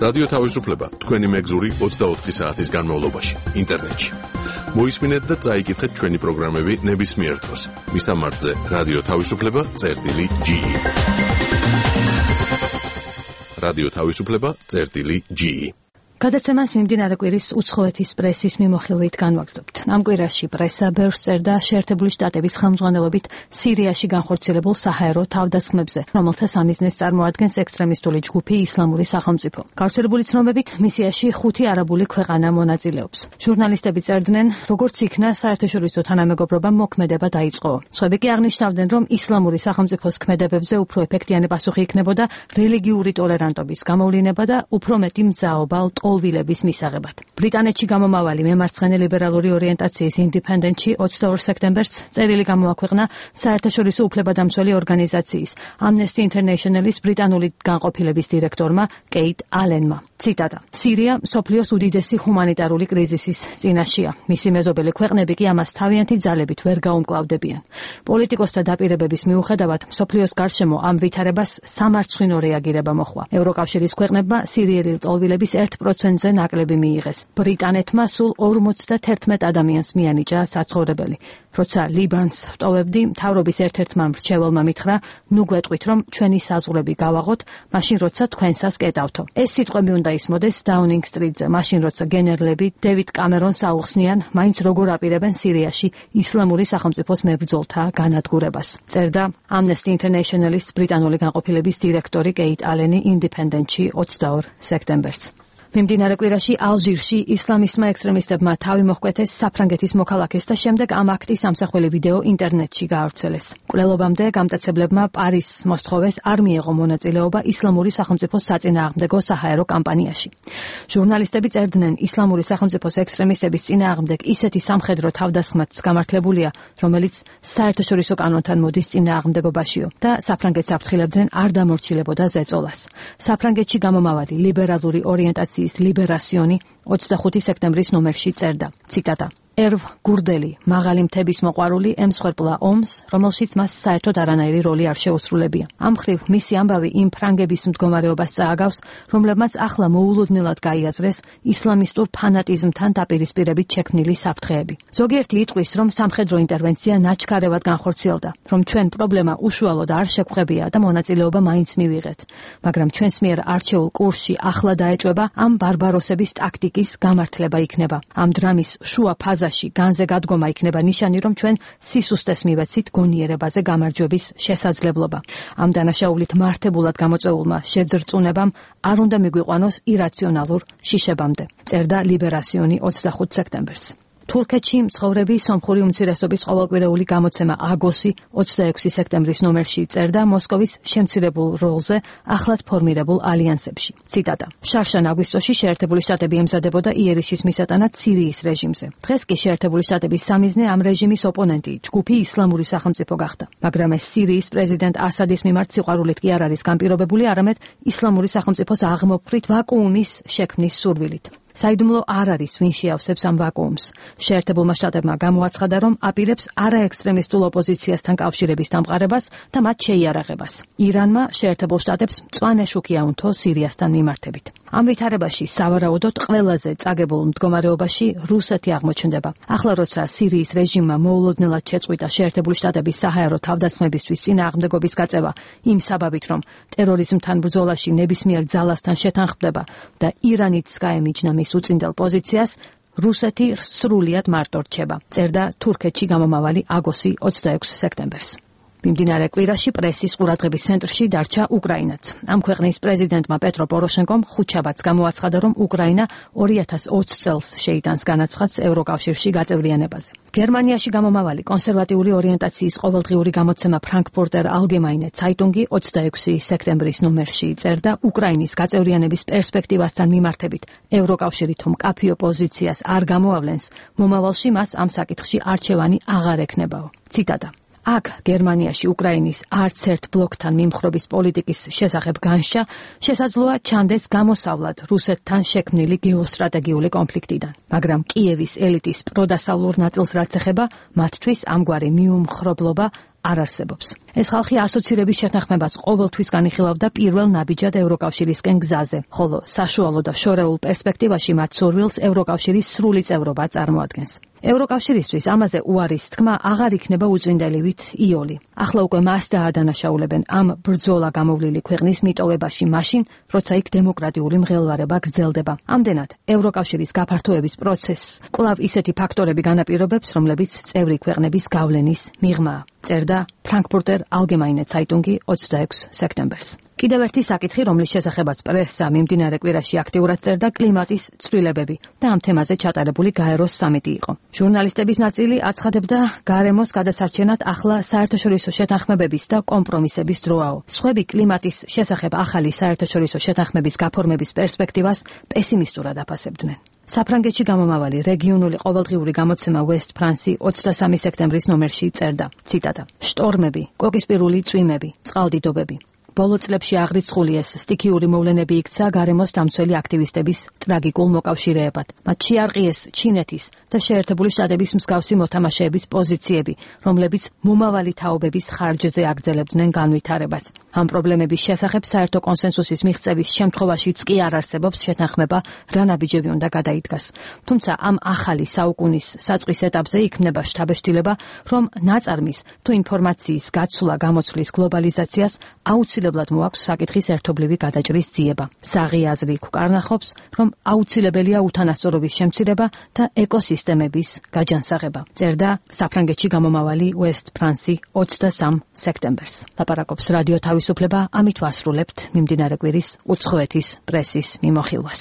რადიო თავისუფლება თქვენი მეგზური 24 საათის განმავლობაში ინტერნეტში. მოისმინეთ და წაიკითხეთ ჩვენი პროგრამები ნებისმიერ დროს. მისამართზე რადიო თავისუფლება.ge. რადიო თავისუფლება.ge. გადაცემას მიმდინარე კვირის უცხოეთის პრესის მიმოხილვით განვაგრძობთ. ამ კვირაში პრესა ბევრს წერდა შეერთებული შტატების ხელმძღვანელობით სირიაში განხორციელებულ საჰაერო თავდასხმებზე, რომელთა სამიზნეს წარმოადგენს ექსტრემისტული ჯგუფი ისლამური სახელმწიფო. გავრცელებული ცნობებით, მისიაში 5 არაბული ქვეყანა მონაწილეობს. ჟურნალისტები წერდნენ, როგორც იქნა საერთაშორისო თანამეგობრობამ მოქმედება დაიწყო. სხვები კი აღნიშნავდნენ, რომ ისლამური სახელმწიფოს ქმედებებზე უფრო ეფექტიანი პასუხი იქნებოდა რელიგიური ტოლერანტობის გამოვლინება და უფრო მეტი მძაობა ტოლვილების მისაღებად. ბრიტანეთში გამომავალი მემარცხენე ლიბერალური ორიენტაციის ინდიპენდენტში 22 სექტემბერს წერილი გამოაქვეყნა საერთაშორისო უფლებადამცველი ორგანიზაციის Amnesty International-ის ბრიტანული განყოფილების დირექტორმა კეიტ ალენმა. ციტატა: სირია მსოფლიოს უდიდესი ჰუმანიტარული კრიზისის წინაშეა. მისი მეზობელი ქვეყნები კი ამას თავიანთი ძალებით ვერ გაუმკლავდებიან. პოლიტიკოსთა დაპირებების მიუხედავად, მსოფლიოს გარშემო ამ ვითარებას სამარცხვინო რეაგირება მოხდა. ევროკავშირის ქვეყნებმა სირიელი ტოლვილების 1%-ზე ნაკლები მიიღეს. ბრიტანეთმა სულ 51 ადამიანს მიანიჭა საცხოვრებელი. როცა ლიბანს ვტოვებდი, მთავრობის ერთ-ერთმა მრჩეველმა მითხრა, ნუ გვეტყვით, რომ ჩვენი საზღვრები გავაღოთ, მაშინ როცა თქვენსას კეტავთო. ეს სიტყვები უნდა ისმოდეს დაუნინგ სტრიტზე, მაშინ როცა გენერლები დევიდ კამერონს აუხსნიან, მაინც როგორ აპირებენ სირიაში ისლამური სახელმწიფოს მებრძოლთა განადგურებას. წერდა Amnesty International-ის ბრიტანული განყოფილების დირექტორი კეიტ ალენი ინდიპენდენტში 22 სექტემბერს. მიმდინარე კვირაში ალჟირში ისლამისტმა ექსტრემისტებმა თავი მოჰკვეთეს საფრანგეთის მოქალაქეს და შემდეგ ამ აქტის ამსახველი ვიდეო ინტერნეტში გაავრცელეს. მკვლელობამდე გამტაცებლებმა პარიზს მოსთხოვეს არ მიეღო მონაწილეობა ისლამური სახელმწიფოს საწინააღმდეგო საჰაერო კამპანიაში. ჟურნალისტები წერდნენ, ისლამური სახელმწიფოს ექსტრემისტების წინააღმდეგ ისეთი სამხედრო თავდასხმაც გამართლებულია, რომელიც საერთაშორისო კანონთან მოდის წინააღმდეგობაშიო და საფრანგეთს აფრთხილებდნენ არ დამორჩილებოდა ზეწოლას. საფრანგეთში გამომავალი ლიბერალური ორიენტაციის ლიბერასიონი 25 სექტემბრის ნომერში წერდა, ციტატა: ერვ გურდელი, მაღალი მთების მოყვარული ემსხვერპლა ომს, რომელშიც მას საერთოდ არანაირი როლი არ შეუსრულებია. ამ მხრივ მისი ამბავი იმ ფრანგების მდგომარეობას წააგავს, რომლებმაც ახლა მოულოდნელად გაიაზრეს ისლამისტურ ფანატიზმთან დაპირისპირებით შექმნილი საფრთხეები. ზოგიერთი იტყვის, რომ სამხედრო ინტერვენცია ნაჩქარევად განხორციელდა, რომ ჩვენ პრობლემა უშუალოდ არ შეგხვებია და მონაწილეობა მაინც მივიღეთ, მაგრამ ჩვენს მიერ არჩეულ კურსში ახლა დაეჭვება ამ ბარბაროსების ტაქტიკის გამართლება იქნება. ამ დრამის შუა ფაზაში განზე გადგომა იქნება ნიშანი, რომ ჩვენ სისუსტეს მივეცით გონიერებაზე გამარჯვების შესაძლებლობა. ამ დანაშაულით მართებულად გამოწვეულმა შეძრწუნებამ არ უნდა მიგვიყვანოს ირაციონალურ შიშებამდე. წერდა ლიბერასიონი 25 სექტემბერს. თურქეთში მცხოვრები სომხური უმცირესობის ყოველკვირეული გამოცემა აგოსი 26 სექტემბრის ნომერში წერდა მოსკოვის შემცირებულ როლზე ახლად ფორმირებულ ალიანსებში. ციტატა: შარშან აგვისტოში შეერთებული შტატები ემზადებოდა იერიშის მისატანად სირიის რეჟიმზე. დღეს კი შეერთებული შტატების სამიზნე ამ რეჟიმის ოპონენტი, ჯგუფი ისლამური სახელმწიფო გახდა. მაგრამ ეს სირიის პრეზიდენტ ასადის მიმართ სიყვარულით კი არ არის განპირობებული, არამედ ისლამური სახელმწიფოს აღმოფხვრით ვაკუუმის შექმნის სურვილით. საიდუმლო არ არის, ვინ შეავსებს ამ ვაკუუმს. შეერთებულმა შტატებმა გამოაცხადა, რომ აპირებს არაექსტრემისტულ ოპოზიციასთან კავშირების დამყარებას და მათ შეიარაღებას. ირანმა შეერთებულ შტატებს მწვანე შუქი აუნთო სირიასთან მიმართებით. ამ ვითარებაში სავარაუდოდ ყველაზე წაგებულ მდგომარეობაში რუსეთი აღმოჩნდება. ახლა როცა სირიის რეჟიმმა მოულოდნელად შეწყვიტა შეერთებული შტატების საჰაერო თავდასხმებისთვის წინააღმდეგობის გაწევა იმ საბაბით, რომ ტერორიზმთან ბრძოლაში ნებისმიერ ძალასთან შეთანხმდება და ირანიც გაემიჯნა მის უწინდელ პოზიციას, რუსეთი სრულიად მარტო რჩება. წერდა თურქეთში გამომავალი აგოსი 26 სექტემბერს. მიმდინარე კვირაში პრესის ყურადღების ცენტრში დარჩა უკრაინაც. ამ ქვეყნის პრეზიდენტმა პეტრო პოროშენკომ ხუთშაბათს გამოაცხადა, რომ უკრაინა 2020 წელს შეიტანს განაცხადს ევროკავშირში გაწევრიანებაზე. გერმანიაში გამომავალი კონსერვატიული ორიენტაციის ყოველდღიური გამოცემა ფრანკფურტერ ალგემაინე ცაიტუნგი 26 სექტემბრის ნომერში წერდა, უკრაინის გაწევრიანების პერსპექტივასთან მიმართებით ევროკავშირი თუ მკაფიო პოზიციას არ გამოავლენს, მომავალში მას ამ საკითხში არჩევანი აღარ ექნებაო. ციტატა: აქ გერმანიაში უკრაინის არც ერთ ბლოკთან მიმხრობის პოლიტიკის შესახებ განშა შესაძლოა ჩანდეს გამოსავლად რუსეთთან შექმნილი გეოსტრატეგიული კონფლიქტიდან. მაგრამ კიევის ელიტის პროდასავლურ ნაწილს რაც ეხება, მათთვის ამგვარი მიუმხრობლობა არ არსებობს. ეს ხალხი ასოცირების შეთანხმებას ყოველთვის განიხილავდა პირველ ნაბიჯად ევროკავშირისკენ გზაზე, ხოლო საშუალო და შორეულ პერსპექტივაში მათ სურვილს ევროკავშირის სრული წევრობა წარმოადგენს. ევროკავშირისთვის ამაზე უარის თქმა აღარ იქნება უწინდელივით იოლი. ახლა უკვე მას დაადანაშაულებენ ამ ბრძოლა გამოვლილი ქვეყნის მიტოვებაში მაშინ, როცა იქ დემოკრატიული მღელვარება გრძელდება. ამდენად, ევროკავშირის გაფართოების პროცესს კვლავ ისეთი ფაქტორები განაპირობებს, რომლებიც წევრი ქვეყნების გავლენის მიღმაა. წერდა ფრანკფურტერ ალგემაინე ცაიტუნგი 26 სექტემბერს. კიდევ ერთი საკითხი, რომლის შესახებაც პრესა მიმდინარე კვირაში აქტიურად წერდა, კლიმატის ცვლილებები და ამ თემაზე ჩატარებული გაეროს სამიტი იყო. ჟურნალისტების ნაწილი აცხადებდა, გარემოს გადასარჩენად ახლა საერთაშორისო შეთანხმებების და კომპრომისების დროაო. სხვები კლიმატის შესახებ ახალი საერთაშორისო შეთანხმების გაფორმების პერსპექტივას პესიმისტურად აფასებდნენ. საფრანგეთში გამომავალი რეგიონული ყოველდღიური გამოცემა West France 23 სექტემბრის ნომერში წერდა, ციტატა: შტორმები, კოკისპირული წვიმები, წყალდიდობები. ბოლო წლებში აღრიცხული ეს სტიქიური მოვლენები იქცა გარემოს დამცველი აქტივისტების ტრაგიკულ მოკავშირეებად. მათ შეარყიეს ჩინეთის და შეერთებული შტატების მსგავსი მოთამაშეების პოზიციები, რომლებიც მომავალი თაობების ხარჯზე აგრძელებდნენ განვითარებას. ამ პრობლემების შესახებ საერთო კონსენსუსის მიღწევის შემთხვევაშიც კი არ არსებობს შეთანხმება, რა ნაბიჯები უნდა გადაიდგას. თუმცა ამ ახალი საუკუნის საწყის ეტაპზე იქმნება შთაბეჭდილება, რომ ნაწარმის თუ ინფორმაციის გაცვლა გამოცვლის გლობალიზაციას აუცილებლად მოაქვს საკითხის ერთობლივი გადაჭრის ძიება. საღი აზრი გვკარნახობს, რომ აუცილებელია უთანასწორობის შემცირება და ეკოსისტემების გაჯანსაღება. წერდა საფრანგეთში გამომავალი West France 23 სექტემბერს. ლაპარაკობს რადიო თავისუფლება, ამით ვასრულებთ მიმდინარე კვირის უცხოეთის პრესის მიმოხილვას.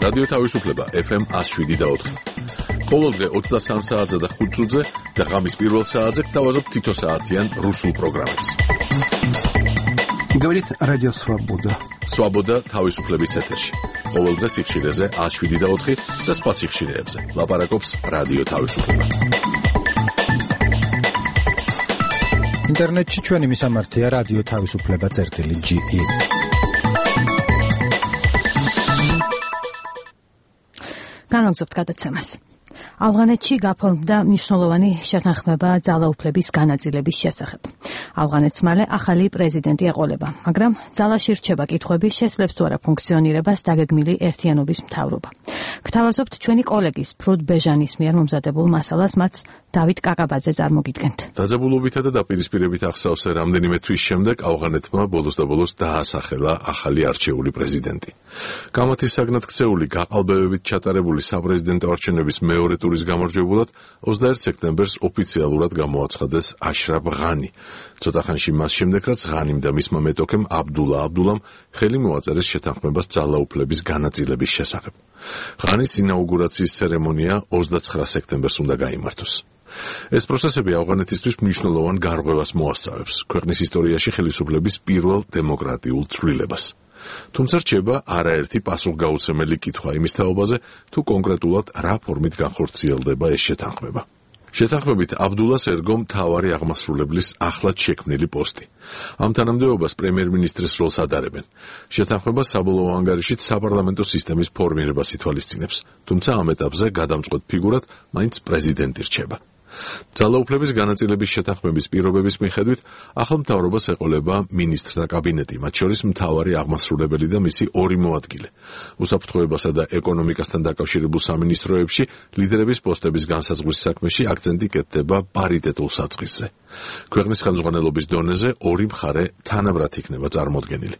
რადიო თავისუფლება FM 107.4. ყოველდღე 23 საათზე და 5 წუთზე და ღამის პირველ საათზე გთავაზობთ თითო საათიან რუსულ პროგრამებს. Говорит Радио Свобода. Свобода თავისუფლების ეთერში. ყოველდღე სიხშირეზე 107.4 და სხვა სიხშირეებზე. ლაპარაკობს რადიო თავისუფლება. ინტერნეტში ჩვენი მისამართია რადიო თავისუფლება.ge. განაგზობთ გადაცემას. ავღანეთში გაფორმდა მნიშვნელოვანი შეთანხმება ძალაუფლების განაწილების შესახებ. ავღანეთს მალე ახალი პრეზიდენტი ეყოლება, მაგრამ ძალაში რჩება კითხვები, შესძლებს თუ არა ფუნქციონირებას დაგეგმილი ერთიანობის მთავრობა. გთავაზობთ ჩვენი კოლეგის ფრუდ ბეჟანის მიერ მომზადებულ მასალას, მათ დავით კაკაბაძე წარმოგიდგენთ. დაძაბულობითა და დაპირისპირებით ახსავსე რამდენიმე თვის შემდეგ ავღანეთმა ბოლოს და ბოლოს დაასახელა ახალი არჩეული პრეზიდენტი. გამათის საგნად ქცეული გაყალბებებით ჩატარებული საპრეზიდენტო არჩევნების მეორე ტურის გამარჯვებულად 21 სექტემბერს ოფიციალურად გამოაცხადეს აშრაფ ღანი. ცოტა ხანში მას შემდეგ, რაც ღანიმ და მისმა მეტოქემ აბდულა აბდულამ ხელი მოაწერეს შეთანხმებას ძალაუფლების განაწილების შესახებ. ღანის ინაუგურაციის ცერემონია 29 სექტემბერს უნდა გაიმართოს. ეს პროცესები ავღანეთისთვის მნიშვნელოვან გარღვევას მოასწავებს ქვეყნის ისტორიაში ხელისუფლების პირველ დემოკრატიულ ცვლილებას. თუმცა რჩება არაერთი პასუხგაუცემელი კითხვა იმის თაობაზე, თუ კონკრეტულად რა ფორმით განხორციელდება ეს შეთანხმება. შეთანხმებით აბდულას ერგო მთავარი აღმასრულებლის ახლად შექმნილი პოსტი. ამ თანამდებობას პრემიერ-მინისტრის როლს ადარებენ. შეთანხმება საბოლოო ანგარიშით საპარლამენტო სისტემის ფორმირებას ითვალისწინებს, თუმცა ამ ეტაპზე გადამწყვეტ ფიგურად მაინც პრეზიდენტი რჩება. ძალაუფლების განაწილების შეთანხმების პირობების მიხედვით ახალ მთავრობას ეყოლება მინისტრთა კაბინეტი, მათ შორის მთავარი აღმასრულებელი და მისი ორი მოადგილე. უსაფრთხოებასა და ეკონომიკასთან დაკავშირებულ სამინისტროებში ლიდერების პოსტების განსაზღვრის საქმეში აქცენტი კეთდება პარიტეტულ საწყისზე. ქვეყნის ხელმძღვანელობის დონეზე ორი მხარე თანაბრად იქნება წარმოდგენილი.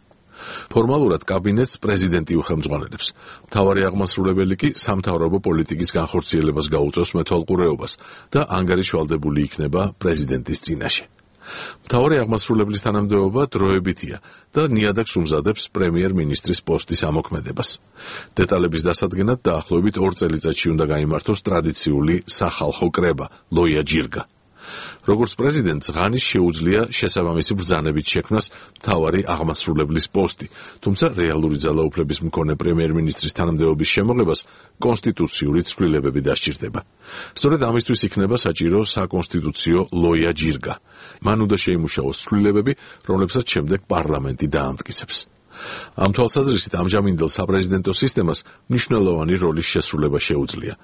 ფორმალურად კაბინეტს პრეზიდენტი უხელმძღვანელებს. მთავარი აღმასრულებელი კი სამთავრობო პოლიტიკის განხორციელებას გაუწევს მეთვალყურეობას და ანგარიშვალდებული იქნება პრეზიდენტის წინაშე. მთავარი აღმასრულებლის თანამდებობა დროებითია და ნიადაგს უმზადებს პრემიერ-მინისტრის პოსტის ამოქმედებას. დეტალების დასადგენად დაახლოებით 2 წელიწადში უნდა გაიმართოს ტრადიციული სახალხო კრება ლოია ჯირგა. როგორც პრეზიდენტს ღანის შეუძლია შესაბამისი ბრძანებით შექმნას მთავარი აღმასრულებლის პოსტი, თუმცა რეალური ძალაუფლების მქონე პრემიერ-მინისტრის თანამდებობის შემოღებას კონსტიტუციური ცვლილებები დასჭირდება. სწორედ ამისთვის იქნება საჭირო საკონსტიტუციო ლოია ჯირგა. მან უნდა შეიმუშაოს ცვლილებები, რომლებსაც შემდეგ პარლამენტი დაამტკიცებს. ამ თვალსაზრისით ამჟამინდელ საპრეზიდენტო სისტემას მნიშვნელოვანი როლის შესრულება შეუძლია.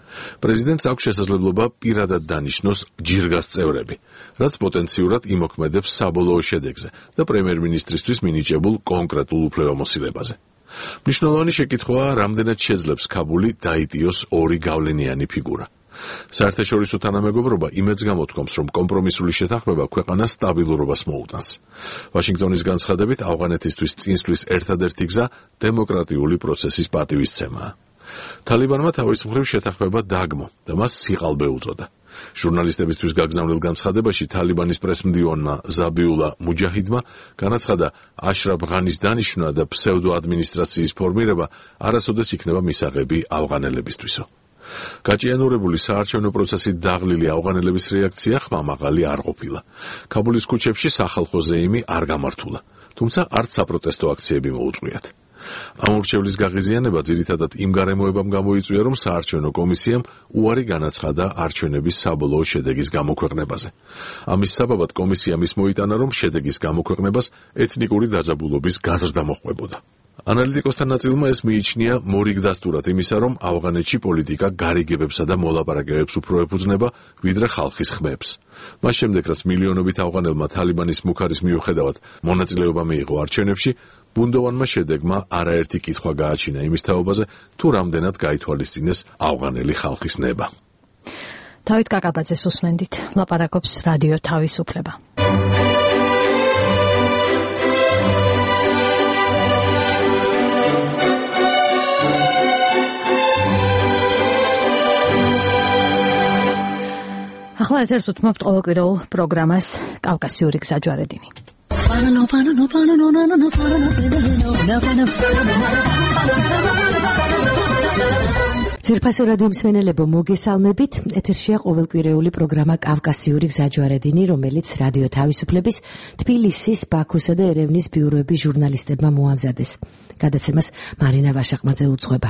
პრეზიდენტს აქვს შესაძლებლობა პირადად დანიშნოს ჯირგას წევრები, რაც პოტენციურად იმოქმედებს საბოლოო შედეგზე და პრემიერ-მინისტრისთვის მინიჭებულ კონკრეტულ უფლებამოსილებაზე. მნიშვნელოვანი შეკითხვაა, რამდენად შეძლებს ქაბული დაიტიოს ორი გავლენიანი ფიგურა. საერთაშორისო თანამეგობრობა იმედს გამოთქვამს, რომ კომპრომისული შეთანხმება ქვეყანას სტაბილურობას მოუტანს. ვაშინგტონის განცხადებით, ავღანეთისთვის წინსვლის ერთადერთი გზა დემოკრატიული პროცესის პატივისცემაა. თალიბანმა თავის მხრივ შეთანხმება დაგმო და მას სიყალბე უწოდა. ჟურნალისტებისთვის გაგზავნილ განცხადებაში თალიბანის პრესმდივანმა ზაბიულა მუჯაჰიდმა განაცხადა, აშრაფ ღანის დანიშვნა და ფსევდოადმინისტრაციის ფორმირება არასოდეს იქნება მისაღები ავღანელებისთვისო. გაჭიანურებული საარჩევნო პროცესით დაღლილი ავღანელების რეაქცია ხმამაღალი არ ყოფილა. ქაბულის ქუჩებში სახალხო ზეიმი არ გამართულა, თუმცა არც საპროტესტო აქციები მოუწყვიათ. ამ ურჩევლის გაღიზიანება ძირითადად იმ გარემოებამ გამოიწვია, რომ საარჩევნო კომისიამ უარი განაცხადა არჩევნების საბოლოო შედეგის გამოქვეყნებაზე. ამის საბაბად კომისიამ ის მოიტანა, რომ შედეგის გამოქვეყნებას ეთნიკური დაძაბულობის გაზრდა მოჰყვებოდა. ანალიტიკოსთა ნაწილმა ეს მიიჩნია მორიგ დასტურად იმისა, რომ ავღანეთში პოლიტიკა გარიგებებსა და მოლაპარაკებებს უფრო ეფუძნება, ვიდრე ხალხის ხმებს. მას შემდეგ, რაც მილიონობით ავღანელმა თალიბანის მუქარის მიუხედავად მონაწილეობა მიიღო არჩევნებში, ბუნდოვანმა შედეგმა არაერთი კითხვა გააჩინა იმის თაობაზე, თუ რამდენად გაითვალისწინეს ავღანელი ხალხის ნება. თავით კაკაბაძეს უსმენდით, ლაპარაკობს რადიო თავისუფლება. ახლა ეთერს უთმობთ ყოველკვირეულ პროგრამას კავკასიური გზაჯვარედინი. ძვირფასო რადიო მსმენელებო, მოგესალმებით. ეთერშია ყოველკვირეული პროგრამა კავკასიური გზაჯვარედინი, რომელიც რადიო თავისუფლების თბილისის, ბაქოსა და ერევნის ბიუროების ჟურნალისტებმა მოამზადეს. გადაცემას მარინა ვაშაყმაძე უძღვება.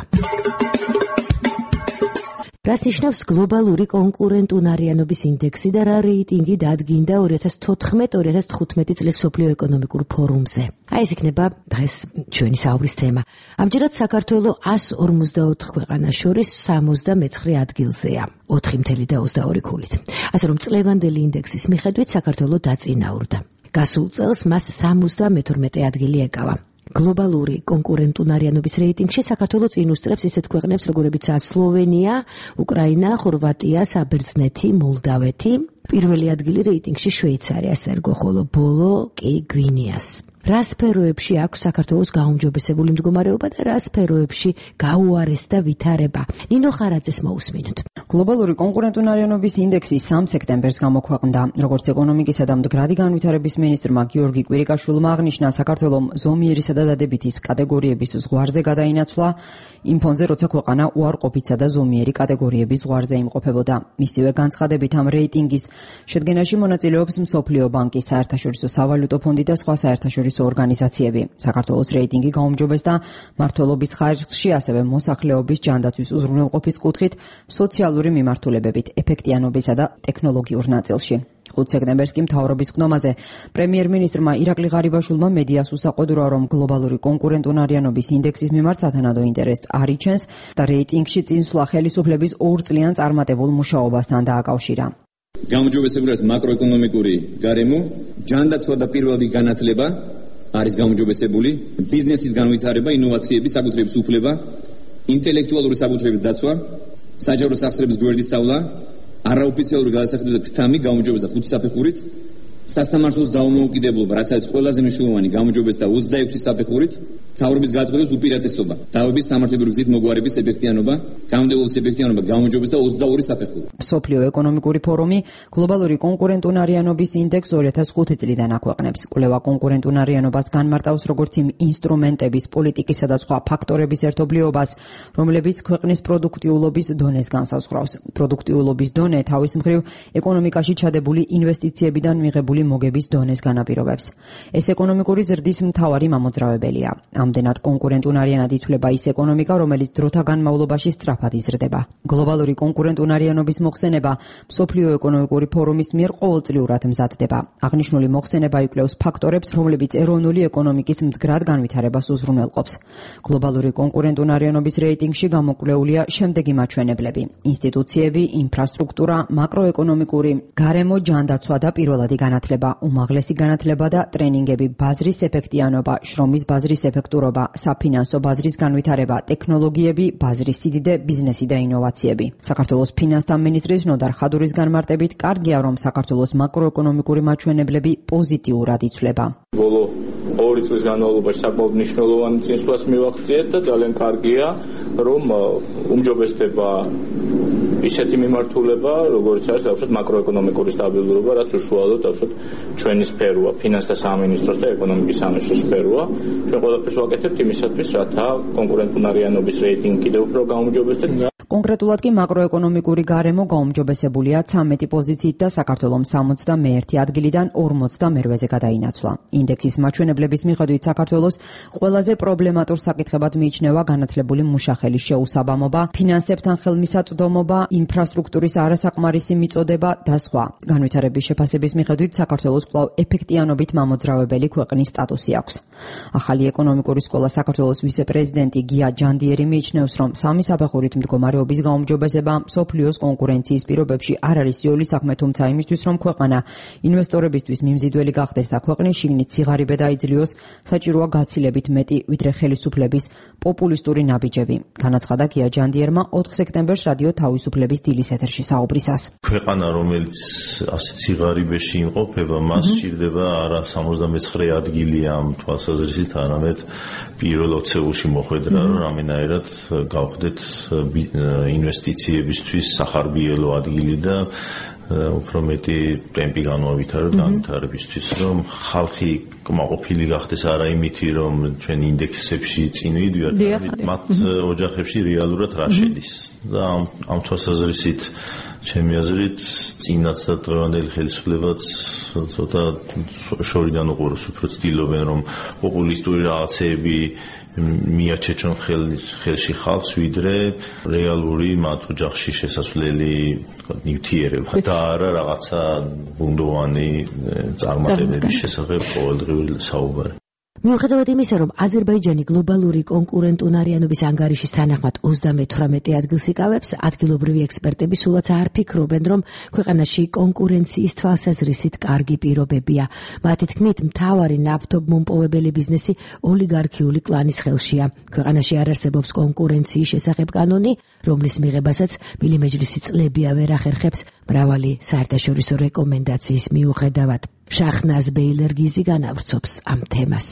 რას ნიშნავს გლობალური კონკურენტუნარიანობის ინდექსი და რა რეიტინგი დადგინდა 2014-2015 წლის მსოფლიო ეკონომიკურ ფორუმზე? ეს იქნება დღეს ჩვენი საუბრის თემა. ამჯერად საქართველო 154 ქვეყანას შორის 69 ადგილზეა, 4.22 ქულით. ასე რომ წლევანდელი ინდექსის მიხედვით საქართველო დაწინაურდა. გასულ წელს მას 72 ადგილი ეკავა. გლობალური კონკურენტუნარიანობის რეიტინგში საქართველო წინ უსწრებს ისეთ ქვეყნებს, როგორებიცაა სლოვენია, უკრაინა, ხორვატია, საბერძნეთი, მოლდავეთი. პირველი ადგილი რეიტინგში შვეიცარიას ერგო, ხოლო ბოლო კი გვინეას. რა სფეროებში აქვს საქართველოს გაუმჯობესებული მდგომარეობა და რა სფეროებში გაუარესდა ვითარება? ნინო ხარაძეს მოусმინოთ. გლობალური კონკურენტუნარიანობის ინდექსი 3 სექტემბერს გამოქვეყნდა. როგორც ეკონომიკისა და მდგრადი განვითარების მინისტრმა გიორგი კვირიკაშვილმა აღნიშნა, საქართველომ ზომიერისა და დადებითის კატეგორიების ზღვარზე გადაინაცვლა იმ ფონზე, როცა ქვეყანა უარყოფითსა და ზომიერი კატეგორიების ზღვარზე იმყოფებოდა. მისივე განცხადებით ამ რეიტინგის შედგენაში მონაწილეობს მსოფლიო ბანკი, საერთაშორისო სავალუტო ფონდი და სხვა საერთაშორისო ორგანიზაციები. საქართველოს რეიტინგი გაუმჯობესდა მმართველობის ხარჯში, ასევე მოსახლეობის ჯანდაცვის უზრუნველყოფის კუთხით, სოციალური მიმართულებებით, ეფექტიანობისა და ტექნოლოგიურ ნაწილში. 5 სექტემბერს კი მთავრობის ხდომაზე პრემიერ-მინისტრმა ირაკლი ღარიბაშვილმა მედიას უსაყვედურა, რომ გლობალური კონკურენტუნარიანობის ინდექსის მიმართ სათანადო ინტერესს არ იჩენს და რეიტინგში წინსვლა ხელისუფლების 2 წლიან წარმატებულ მუშაობასთან დააკავშირა. გაუმჯობესებული არის მაკროეკონომიკური გარემო, ჯანდაცვა და პირველადი განათლება არის გაუმჯობესებული, ბიზნესის განვითარება, ინოვაციები, საკუთრების უფლება, ინტელექტუალური საკუთრების დაცვა, საჯარო სახსრების გვერდის სწავლა, არაოფიციალური გადასახადებები და ქთამი გაუმჯობესდა 5 საფეხურით, სასამართლოს დაუმოუკიდებლობა, რაც არის ყველაზე მნიშვნელოვანი, გაუმჯობესდა 26 საფეხურით, მთავრობის გაწყვეტილების უპირატესობა, დავების სამართლებრივი გზით მოგვარების ეფექტიანობა, გამომდებობის ეფექტიანობა გაუმჯობესდა 22 საფეხური. მსოფლიო ეკონომიკური ფორუმი გლობალური კონკურენტუნარიანობის ინდექს 2005 წლიდან აქვეყნებს. კვლევა კონკურენტუნარიანობას განმარტავს როგორც იმ ინსტრუმენტების, პოლიტიკისა და სხვა ფაქტორების ერთობლიობას, რომლებიც ქვეყნის პროდუქტიულობის დონეს განსაზღვრავს. პროდუქტიულობის დონე თავის მხრივ ეკონომიკაში ჩადებული ინვესტიციებიდან მიღებული მოგების დონეს განაპირობებს. ეს ეკონომიკური ზრდის მთავარი მამოძრავებელია. ამდენად კონკურენტუნარიანად ითვლება ის ეკონომიკა, რომელიც დროთა განმავლობაში სწრაფად იზრდება. გლობალური კონკურენტუნარიანობის მოხსენება მსოფლიო ეკონომიკური ფორუმის მიერ ყოველწლიურად მზადდება. აღნიშნული მოხსენება იკვლევს ფაქტორებს, რომლებიც ეროვნული ეკონომიკის მდგრად განვითარებას უზრუნველყოფს. გლობალური კონკურენტუნარიანობის რეიტინგში გამოკვლეულია შემდეგი მაჩვენებლები: ინსტიტუციები, ინფრასტრუქტურა, მაკროეკონომიკური, გარემო, ჯანდაცვა და პირველადი განათლება, უმაღლესი განათლება და ტრენინგები, ბაზრის ეფექტიანობა, შრომის ბაზრის ეფექტურობა, ინფრასტრუქტურობა, საფინანსო ბაზრის განვითარება, ტექნოლოგიები, ბაზრის სიდიდე, ბიზნესი და ინოვაციები. საქართველოს ფინანსთა მინისტრის ნოდარ ხადურის განმარტებით, კარგია, რომ საქართველოს მაკროეკონომიკური მაჩვენებლები პოზიტიურად იცვლება. ბოლო 2 წლის განმავლობაში საკმაოდ მნიშვნელოვანი წინსვლას მივახციეთ და ძალიან კარგია, რომ უმჯობესდება ისეთი მიმართულება, როგორც არის თავშოთ მაკროეკონომიკური სტაბილურობა, რაც უშუალოდ თავშოთ ჩვენი სფეროა, ფინანსთა სამინისტროს და ეკონომიკის სამინისტროს სფეროა. ჩვენ ყველაფერს ვაკეთებთ იმისათვის, რათა კონკურენტუნარიანობის რეიტინგი კიდევ უფრო გაუმჯობესდეს. კონკრეტულად კი მაკროეკონომიკური გარემო გაუმჯობესებულია 13 პოზიციით და საქართველოს 61 ადგილიდან 48-ზე გადაინაცვლა. ინდექსის მაჩვენებლების მიხედვით საქართველოს ყველაზე პრობლემატურ საკითხებად მიიჩნევა განათლებული მუშახელის შეუსაბამობა, ფინანსებთან ხელმისაწვდომობა, ინფრასტრუქტურის არასაკმარისი მიწოდება და სხვა. განვითარების შეფასების მიხედვით საქართველოს კვლავ ეფექტიანობით მამოძრავებელი ქვეყნის სტატუსი აქვს. ახალი ეკონომიკური სკოლა საქართველოს ვიცე-პრეზიდენტი გია ჯანდიერი მიიჩნევს, რომ სამი საფეხურით მდგომარეობის გაუმჯობესება მსოფლიოს კონკურენციის პირობებში არ არის იოლი საქმე, თუმცა იმისთვის, რომ ქვეყანა ინვესტორებისთვის მიმზიდველი გახდეს და ქვეყნის შიგნით სიღარიბე დაიძლიოს, საჭიროა გაცილებით მეტი, ვიდრე ხელისუფლების პოპულისტური ნაბიჯები. განაცხადა გია ჯანდიერმა 4 სექტემბერს რადიო თავისუფლების დილის ეთერში საუბრისას. ქვეყანა, რომელიც ასეთ სიღარიბეში იმყოფება, მას სჭირდება არა 79 ადგილი ამ თვალსაზრისით, არამედ პირველ 20-ში მოხვედრა, რომ რამენაირად გავხდეთ ინვესტიციებისთვის სახარბიელო ადგილი და უფრო მეტი ტემპი განვავითაროთ განვითარებისთვის, რომ ხალხი კმაყოფილი გახდეს არა იმითი, რომ ჩვენ ინდექსებში წინ ვიდივართ, მათ ოჯახებში რეალურად რა შედის. და ამ თვალსაზრისით ჩემი აზრით წინაც და დღევანდელი ხელისუფლებაც ცოტა შორიდან უყუროს, უფრო ცდილობენ, რომ პოპულისტური რაღაცეები მიაჩეჩონ ხელში ხალხს, ვიდრე რეალური მათ ოჯახში შესასვლელი ნივთიერება და არა რაღაცა ბუნდოვანი წარმატებების შესახებ ყოველდღიური საუბარი. მიუხედავად იმისა, რომ აზერბაიჯანი გლობალური კონკურენტუნარიანობის ანგარიშის თანახმად 38 ადგილს იკავებს, ადგილობრივი ექსპერტები სულაც არ ფიქრობენ, რომ ქვეყანაში კონკურენციის თვალსაზრისით კარგი პირობებია. მათი თქმით, მთავარი ნავთობმომპოვებელი ბიზნესი ოლიგარქიული კლანის ხელშია. ქვეყანაში არ არსებობს კონკურენციის შესახებ კანონი, რომლის მიღებასაც ბილი მეჯლისი წლებია ვერ ახერხებს მრავალი საერთაშორისო რეკომენდაციის მიუხედავად. შაჰნაზ ბეილერგიზი განავრცობს ამ თემას.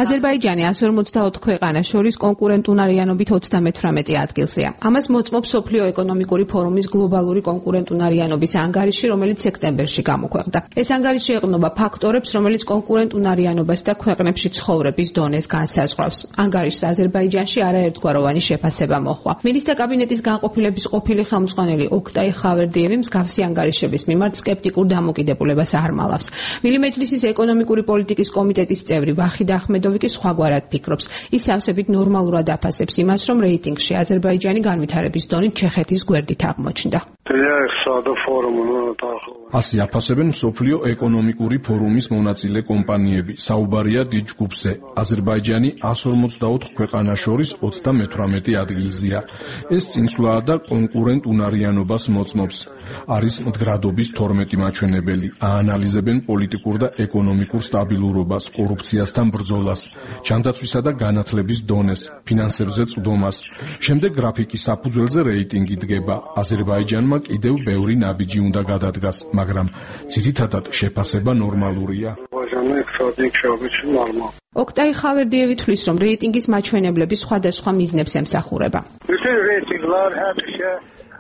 აზერბაიჯანი 154 ქვეყანას შორის კონკურენტუნარიანობით 38 ადგილზეა. ამას მოწმობს მსოფლიო ეკონომიკური ფორუმის გლობალური კონკურენტუნარიანობის ანგარიში, რომელიც სექტემბერში გამოქვეყნდა. ეს ანგარიში ეყრდნობა ფაქტორებს, რომელიც კონკურენტუნარიანობას და ქვეყნებში ცხოვრების დონეს განსაზღვრავს. ანგარიშს აზერბაიჯანში არაერთგვაროვანი შეფასება მოჰყვა. მინისტრთა კაბინეტის განყოფილების ყოფილი ხელმძღვანელი ოქტაი ხავერდიევი მსგავსი ანგარიშების მიმართ სკეპტიკურ დამოკიდებულებას არ მალავს. ბილი მეჯლისის ეკონომიკური პოლიტიკის კომიტეტის წევრი ვახიდ ახმედოვი კი სხვაგვარად ფიქრობს. ის სავსებით ნორმალურად აფასებს იმას, რომ რეიტინგში აზერბაიჯანი განვითარების დონით ჩეხეთის გვერდით აღმოჩნდა. ასე აფასებენ მსოფლიო ეკონომიკური ფორუმის მონაწილე კომპანიები. საუბარია დიდ ჯგუფზე. აზერბაიჯანი 154 ქვეყანას შორის 38 ადგილზეა. ეს წინსვლაა და კონკურენტუნარიანობას მოწმობს. არის მდგრადობის 12 მაჩვენებელი. აანალიზებენ პოლიტიკურ და ეკონომიკურ სტაბილურობას, კორუფციასთან ბრძოლას, ჯანდაცვისა და განათლების დონეს, ფინანსებზე წვდომას. შემდეგ გრაფიკის საფუძველზე რეიტინგი დგება. აზერბაიჯანმა კიდევ ბევრი ნაბიჯი უნდა გადადგას, მაგრამ ძირითადად შეფასება ნორმალურია. ოქტაი ხავერდიევი თვლის, რომ რეიტინგის მაჩვენებლები სხვადასხვა მიზნებს ემსახურება.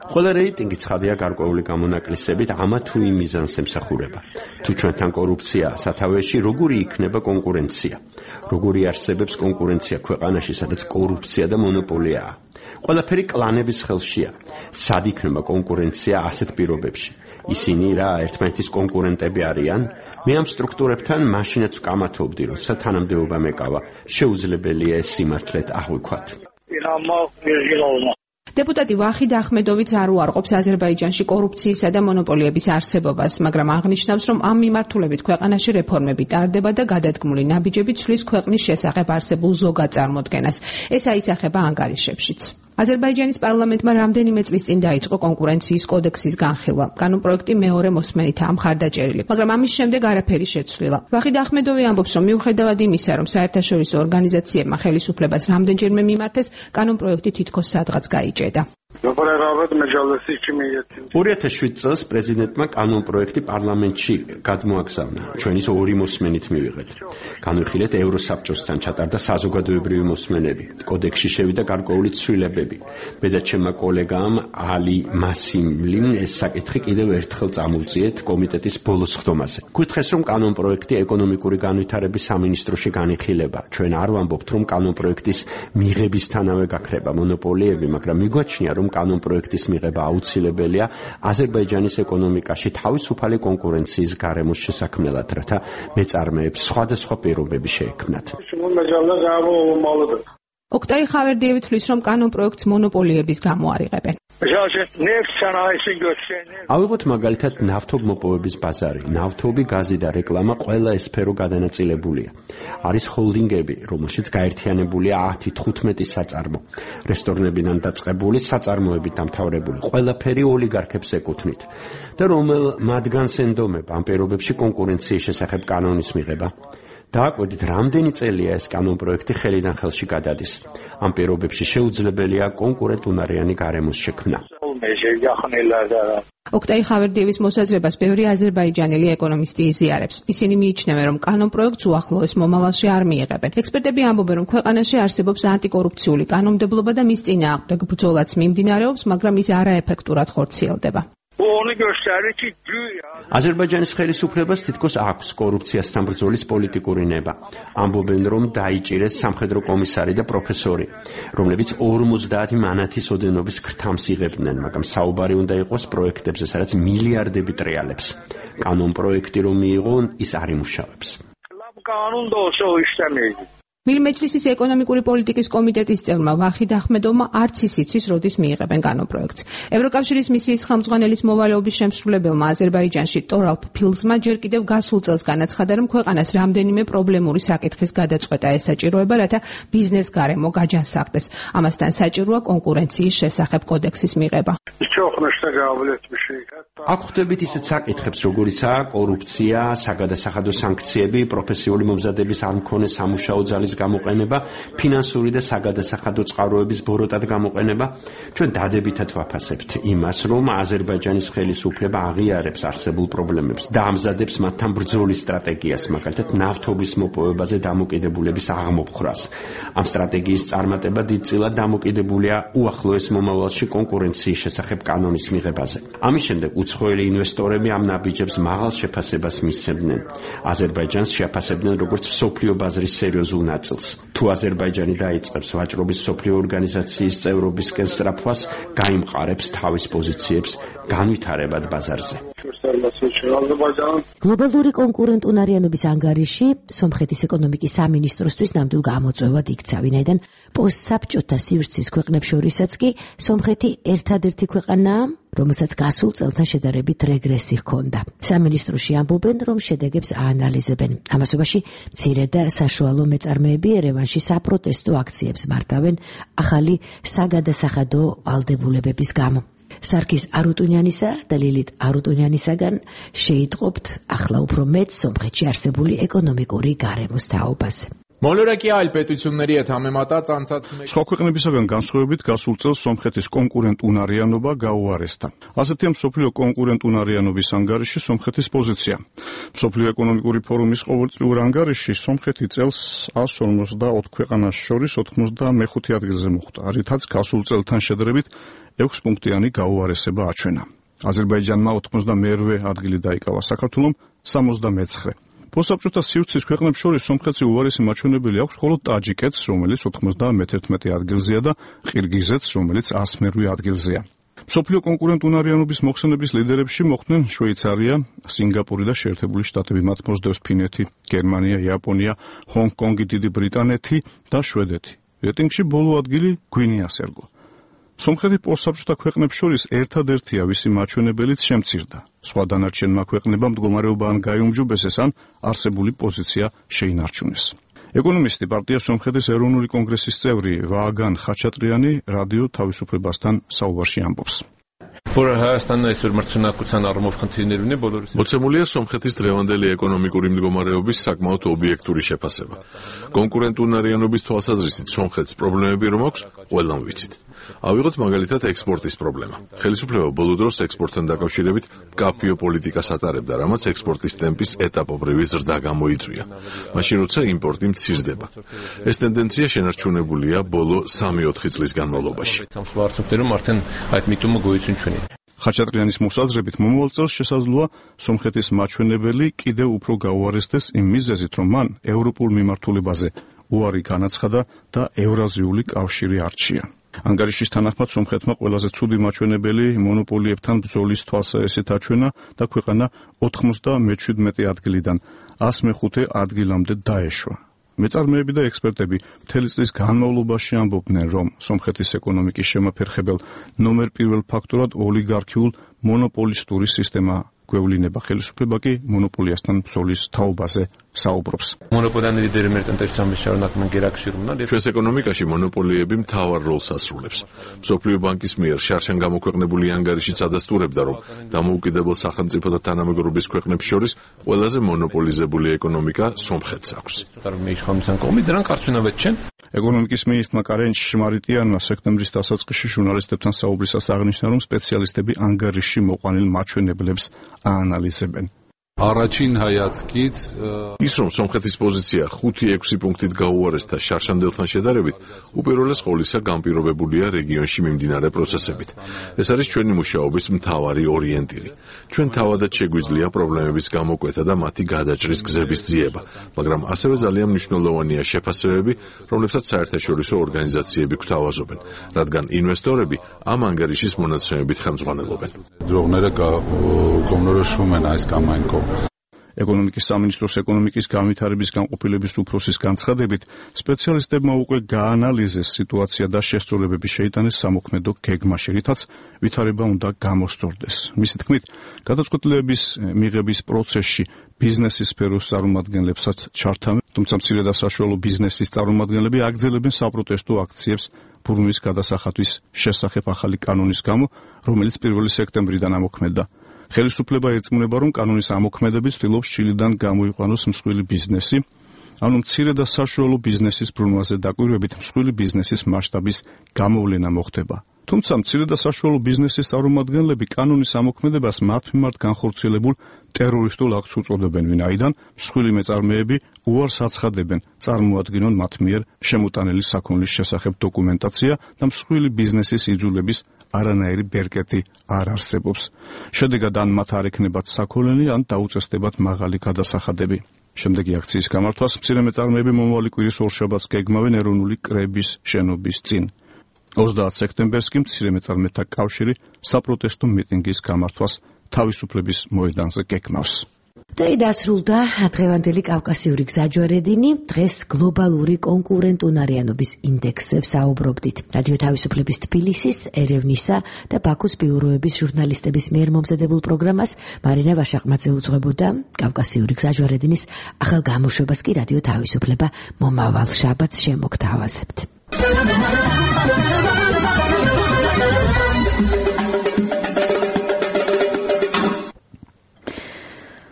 ყველა რეიტინგი ცხადია გარკვეული გამონაკლისებით ამა თუ იმ მიზანს ემსახურება. თუ ჩვენთან კორუფციაა სათავეში, როგორი იქნება კონკურენცია? როგორი არსებობს კონკურენცია ქვეყანაში, სადაც კორუფცია და მონოპოლიაა? ყველაფერი კლანების ხელშია. სად იქნება კონკურენცია ასეთ პირობებში? ისინი რა ერთმანეთის კონკურენტები არიან? მე ამ სტრუქტურებთან მაშინაც ვკამათობდი, როცა თანამდებობა მეკავა. შეუძლებელია ეს სიმართლედ აღვიქვათ. დეპუტატი ვახიდ ახმედოვიც არ უარყოფს აზერბაიჯანში კორუფციისა და მონოპოლიების არსებობას, მაგრამ აღნიშნავს, რომ ამ მიმართულებით ქვეყანაში რეფორმები ტარდება და გადადგმული ნაბიჯები ცვლის ქვეყნის შესახებ არსებულ ზოგად წარმოდგენას. ეს აისახება ანგარიშებშიც. აზერბაიჯანის პარლამენტმა რამდენიმე წლის წინ დაიწყო კონკურენციის კოდექსის განხილვა. კანონპროექტი მეორე მოსმენითაა მხარდაჭერილი, მაგრამ ამის შემდეგ არაფერი შეცვლილა. ვახიდ ახმედოვი ამბობს, რომ მიუხედავად იმისა, რომ საერთაშორისო ორგანიზაციებმა ხელისუფლებას რამდენჯერმე მიმართეს, კანონპროექტი თითქოს სადღაც გაიჭედა. 2007 წელს პრეზიდენტმა კანონპროექტი პარლამენტში გადმოაგზავნა. ჩვენის ორი მოსმენით მივიღეთ. განვიხილეთ ევროსაბჭოსთან ჩატარდა საზოგადოებრივი მოსმენები. კოდექსში შევიდა გარკვეული ცვლილებები. მედაჩემმა კოლეგამ ალი მასიმლიმ ეს საკითხი კიდევ ერთხელ წამოვწიეთ კომიტეტის ბოლოს ხდომაზე. გითხრეს, რომ კანონპროექტი ეკონომიკური განვითარების სამინისტროში განიხილება. ჩვენ არ ვამბობთ, რომ კანონპროექტის მიღებისთანავე გაქრება მონოპოლიები, მაგრამ მიგვაჩნია, რომ კანონპროექტის მიღება აუცილებელია აზერბაიჯანის ეკონომიკაში თავისუფალი კონკურენციის გარემოს შესაქმნელად, რათა მეწარმეებს სხვადასხვა პირობები შეექმნათ. ოქტაი ხავერდიევი თვლის, რომ კანონპროექტს მონოპოლიების გამო არ იღებენ. ავიღოთ მაგალითად ნავთობმოპოვების ბაზარი. ნავთობი, გაზი და რეკლამა ყველა ეს სფერო გადანაწილებულია. არის ჰოლდინგები, რომელშიც გაერთიანებულია 10-15 საწარმო. რესტორნებიდან დაწყებული, საწარმოებით დამთავრებული, ყველაფერი ოლიგარქებს ეკუთვნით. და რომელ მათგანს ენდომება ამ პირობებში კონკურენციის შესახებ კანონის მიღება? დააკვირდით, რამდენი წელია ეს კანონპროექტი ხელიდან ხელში გადადის. ამ პირობებში შეუძლებელია კონკურენტუნარიანი გარემოს შექმნა. ოქტაი ხავერდიევის მოსაზრებას ბევრი აზერბაიჯანელი ეკონომისტი იზიარებს. ისინი მიიჩნევენ, რომ კანონპროექტს უახლოეს მომავალში არ მიიღებენ. ექსპერტები ამბობენ, რომ ქვეყანაში არსებობს ანტიკორუფციული კანონმდებლობა და მის წინააღმდეგ ბრძოლაც მიმდინარეობს, მაგრამ ის არაეფექტურად ხორციელდება. აზერბაიჯანის ხელისუფლებას თითქოს აქვს კორუფციასთან ბრძოლის პოლიტიკური ნება. ამბობენ, რომ დაიჭირეს სამხედრო კომისარი და პროფესორი, რომლებიც 50 მანათის ოდენობის ქრთამს იღებდნენ, მაგრამ საუბარი უნდა იყოს პროექტებზე, სადაც მილიარდები ტრიალებს. კანონპროექტი რომ მიიღო, ის არ იმუშავებს. მილმეჯლისის ეკონომიკური პოლიტიკის კომიტეტის წევრმა ვახიდ ახმედოვმა არც ის იცის, როდის მიიღებენ კანონპროექტს. ევროკავშირის მისიის ხელმძღვანელის მოვალეობის შემსრულებელმა აზერბაიჯანში ტორალფ ფილზმა ჯერ კიდევ გასულ წელს განაცხადა, რომ ქვეყანას რამდენიმე პრობლემური საკითხის გადაწყვეტა ესაჭიროება, რათა ბიზნეს გარემო გაჯანსაღდეს. ამასთან საჭიროა კონკურენციის შესახებ კოდექსის მიღება. აქ ხვდებით ისეთ საკითხებს, როგორიცაა კორუფცია, საგადასახადო სანქციები, პროფესიული მომზადების არ მქონე სამუშაო ძალის გამოყენება, ფინანსური და საგადასახადო წყაროების ბოროტად გამოყენება. ჩვენ დადებითად ვაფასებთ იმას, რომ აზერბაიჯანის ხელისუფლება აღიარებს არსებულ პრობლემებს და ამზადებს მათთან ბრძოლის სტრატეგიას, მაგალითად ნავთობის მოპოვებაზე დამოკიდებულების აღმოფხრას. ამ სტრატეგიის წარმატება დიდწილად დამოკიდებულია უახლოეს მომავალში კონკურენციის შესახებ კანონის მიღებაზე. ამის შემდეგ უცხოელი ინვესტორები ამ ნაბიჯებს მაღალ შეფასებას მისცემდნენ. აზერბაიჯანს შეაფასებდნენ როგორც მსოფლიო ბაზრის სერიოზულ ნაწილს. თუ აზერბაიჯანი დაიწყებს ვაჭრობის მსოფლიო ორგანიზაციის წევრობისკენ სწრაფვას, გაიმყარებს თავის პოზიციებს განვითარებად ბაზარზე. გლობალური კონკურენტუნარიანობის ანგარიში სომხეთის ეკონომიკის სამინისტროსთვის ნამდვილ გამოწვევად იქცა, ვინაიდან პოსტსაბჭოთა სივრცის ქვეყნებს შორისაც კი სომხეთი ერთადერთი ქვეყანაა, რომელსაც გასულ წელთან შედარებით რეგრესი ჰქონდა. სამინისტროში ამბობენ, რომ შედეგებს აანალიზებენ. ამასობაში მცირე და საშუალო მეწარმეები ერევანში საპროტესტო აქციებს მართავენ ახალი საგადასახადო ვალდებულებების გამო. სარქის არუტუნიანისა და ლილით არუტუნიანისაგან შეიტყობთ ახლა უფრო მეც სომხეთში არსებული ეკონომიკური გარემოს თაობაზე. Մոլորակի պետությունների հետ համեմատած անցած სხვა ქვეყნებისაგან განსხვავებით გასულ წელს სომხეთის კონკურენტუნარიანობა გაუარესდა. ასეთია მსოფლიო კონკურენტუნარიანობის ანგარიში სომხეთის პოზიცია. მსოფლიო ეკონომიკური ფორუმის ყოველწლიურ ანგარიში სომხეთი წელს 154 ქვეყანას შორის 95 ადგილზე მოხვდა, რითაც გასულ წელთან შედარებით 6 პუნქტიანი გაუარესება აჩვენა. აზერბაიჯანმა 92 ადგილი დაიკავა, საქართველომ 79. პოსტსაბჭოთა სივრცის ქვეყნებს შორის სომხეთში უარესი მაჩვენებელი აქვს მხოლოდ ტაჯიკეთს, რომელიც 91 ადგილზეა და ყირგიზეთს, რომელიც 108 ადგილზეა. მსოფლიო კონკურენტუნარიანობის მოხსენების ლიდერებში მოხვდნენ შვეიცარია, სინგაპური და შეერთებული შტატები, მათ მოსდევს ფინეთი, გერმანია, იაპონია, ჰონგ-კონგი, დიდი ბრიტანეთი და შვედეთი. რეიტინგში ბოლო ადგილი გვინეას ერგო. სომხეთი პოსტსაბჭოთა ქვეყნებს შორის ერთადერთია, ვისი მაჩვენებელიც შემცირდა. სხვა დანარჩენმა ქვეყნებამ მდგომარეობა ან გაიუმჯობესეს, ან არსებული პოზიცია შეინარჩუნეს. ეკონომისტი პარტია სომხეთის ეროვნული კონგრესის წევრი ვაგან ხაჩატრიანი რადიო თავისუფლებასთან საუბარში ამბობს. მოცემულია სომხეთის დღევანდელი ეკონომიკური მდგომარეობის საკმაოდ ობიექტური შეფასება. კონკურენტუნარიანობის თვალსაზრისით სომხეთს პრობლემები რომ აქვს, ყველამ ვიცით. ავიღოთ მაგალითად ექსპორტის პრობლემა. ხელისუფლება ბოლო დროს ექსპორტთან დაკავშირებით მკაფიო პოლიტიკას ატარებდა, რამაც ექსპორტის ტემპის ეტაპობრივი ზრდა გამოიწვია. მაშინ როცა იმპორტი მცირდება. ეს ტენდენცია შენარჩუნებულია ბოლო 3-4 წლის განმავლობაში. ხაჩატრიანის მოსაზრებით მომავალ წელს შესაძლოა სომხეთის მაჩვენებელი კიდევ უფრო გაუარესდეს იმ მიზეზით, რომ მან ევროპულ მიმართულებაზე უარი განაცხადა და ევრაზიული კავშირი არჩია. ანგარიშის თანახმად სომხეთმა ყველაზე ცუდი მაჩვენებელი მონოპოლიებთან ბრძოლის თვალსაჩინო აჩვენა და ქვეყანა 97 ადგილიდან 105 ადგილამდე დაეშვა. მეწარმეები და ექსპერტები მთელი წლის განმავლობაში ამბობდნენ, რომ სომხეთის ეკონომიკის შემაფერხებელ ნომერ პირველ ფაქტორად ოლიგარქიულ მონოპოლისტური სისტემა გვევლინება. ხელისუფლება კი მონოპოლიასთან ბრძოლის თაობაზე საუბრობს. ჩვენს ეკონომიკაში მონოპოლიები მთავარ როლს ასრულებს. მსოფლიო ბანკის მიერ შარშან გამოქვეყნებული ანგარიშიც ადასტურებდა, რომ დამოუკიდებელ სახელმწიფოთა თანამეგობრობის ქვეყნებს შორის ყველაზე მონოპოლიზებული ეკონომიკა სომხეთს აქვს. ეკონომიკის მინისტრმა კარენ შმარიტიანმა სექტემბრის დასაწყისში ჟურნალისტებთან საუბრისას აღნიშნა, რომ სპეციალისტები ანგარიშში მოყვანილ მაჩვენებლებს აანალიზებენ. ის რომ სომხეთის პოზიცია 5-6 პუნქტით გაუარესდა შარშანდელთან შედარებით, უპირველეს ყოვლისა განპირობებულია რეგიონში მიმდინარე პროცესებით. ეს არის ჩვენი მუშაობის მთავარი ორიენტირი. ჩვენ თავადაც შეგვიძლია პრობლემების გამოკვეთა და მათი გადაჭრის გზების ძიება, მაგრამ ასევე ძალიან მნიშვნელოვანია შეფასებები, რომლებსაც საერთაშორისო ორგანიზაციები გვთავაზობენ, რადგან ინვესტორები ამ ანგარიშის მონაცემებით ხელმძღვანელობენ. ეკონომიკის სამინისტროს ეკონომიკის განვითარების განყოფილების უფროსის განცხადებით, სპეციალისტებმა უკვე გაანალიზეს სიტუაცია და შესწორებები შეიტანეს სამოქმედო გეგმაში, რითაც ვითარება უნდა გამოსწორდეს. მისი თქმით, გადაწყვეტილების მიღების პროცესში ბიზნესის სფეროს წარმომადგენლებსაც ჩართავენ, თუმცა მცირე და საშუალო ბიზნესის წარმომადგენლები აგრძელებენ საპროტესტო აქციებს ბრუნვის გადასახადვის შესახებ ახალი კანონის გამო, რომელიც 1 სექტემბრიდან ამოქმედდა. ხელისუფლება ერწმუნება, რომ კანონის ამოქმედებით ცდილობს ჩილიდან გამოიყვანოს მსხვილი ბიზნესი, ანუ მცირე და საშუალო ბიზნესის ბრუნვაზე დაკვირვებით მსხვილი ბიზნესის მასშტაბის გამოვლენა მოხდება. თუმცა მცირე და საშუალო ბიზნესის წარმომადგენლები კანონის ამოქმედებას მათ მიმართ განხორციელებულ ტერორისტულ აქტს უწოდებენ, ვინაიდან მსხვილი მეწარმეები უარს აცხადებენ წარმოადგინონ მათ მიერ შემოტანილი საქონლის შესახებ დოკუმენტაცია და მსხვილი ბიზნესის იძულების არანაირი ბერკეტი არ არსებობს. შედეგად ან მათ არ ექნებათ საქონელი, ან დაუწესდებათ მაღალი გადასახადები. შემდეგი აქციის გამართვას მცირე მეწარმეები მომავალი კვირის ორშაბათს გეგმავენ ეროვნული კრების შენობის წინ. 30 სექტემბერს კი მცირე მეწარმეთა კავშირი საპროტესტო მიტინგის გამართვას თავისუფლების მოედანზე გეგმავს. და დასრულდა დღევანდელი კავკასიური გზაჯვარედინი. დღეს გლობალური კონკურენტუნარიანობის ინდექსზე საუბრობდით. რადიო თავისუფლების თბილისის, ერევნისა და ბაქოს ბიუროების ჟურნალისტების მიერ მომზადებულ პროგრამას მარინა ვაშაყმაძე უძღვებოდა. კავკასიური გზაჯვარედინის ახალ გამოშვებას კი რადიო თავისუფლება მომავალ შაბათს შემოგთავაზებთ.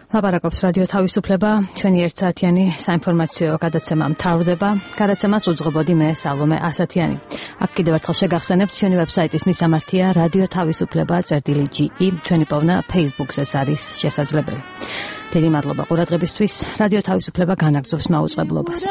ლაპარაკობს რადიო თავისუფლება, ჩვენი ერთსაათიანი საინფორმაციო გადაცემა მთავრდება. გადაცემას უძღვებოდი მე სალომე ასათიანი. აქ კიდევ ერთხელ შეგახსენებთ, ჩვენი ვებსაიტის მისამართია რადიო თავისუფლება.ge, ჩვენი პოვნა Facebook-ზეც არის შესაძლებელი. დიდი მადლობა ყურადღებისთვის. რადიო თავისუფლება განაგრძობს მაუწყებლობას.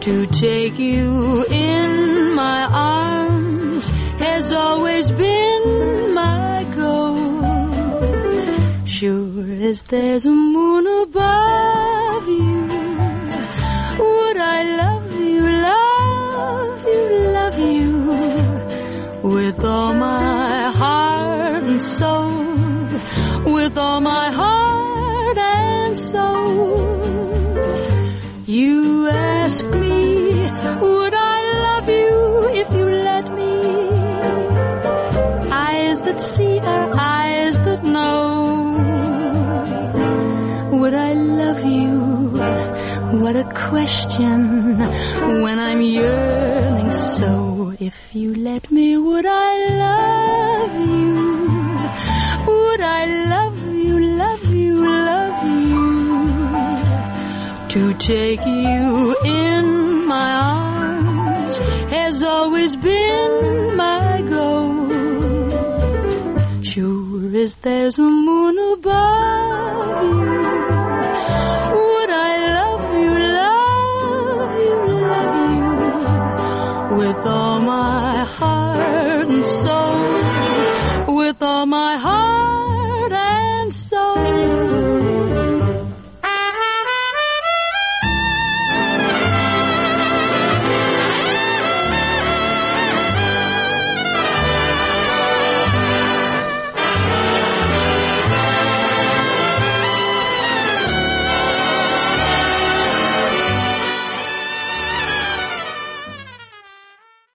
To take you in my arms has always been my goal. Sure as there's a moon above you, would I love you, love you, love you with all my heart and soul, with all my heart and soul. You ask me, would I love you if you let me? Eyes that see are eyes that know. Would I love you? What a question when I'm yearning so. If you let me, would I love you? Would I love you, love you, love you? To take you in my arms has always been my goal. Sure as there's a moon above you, would I love you, love you, love you with all my heart and soul, with all my heart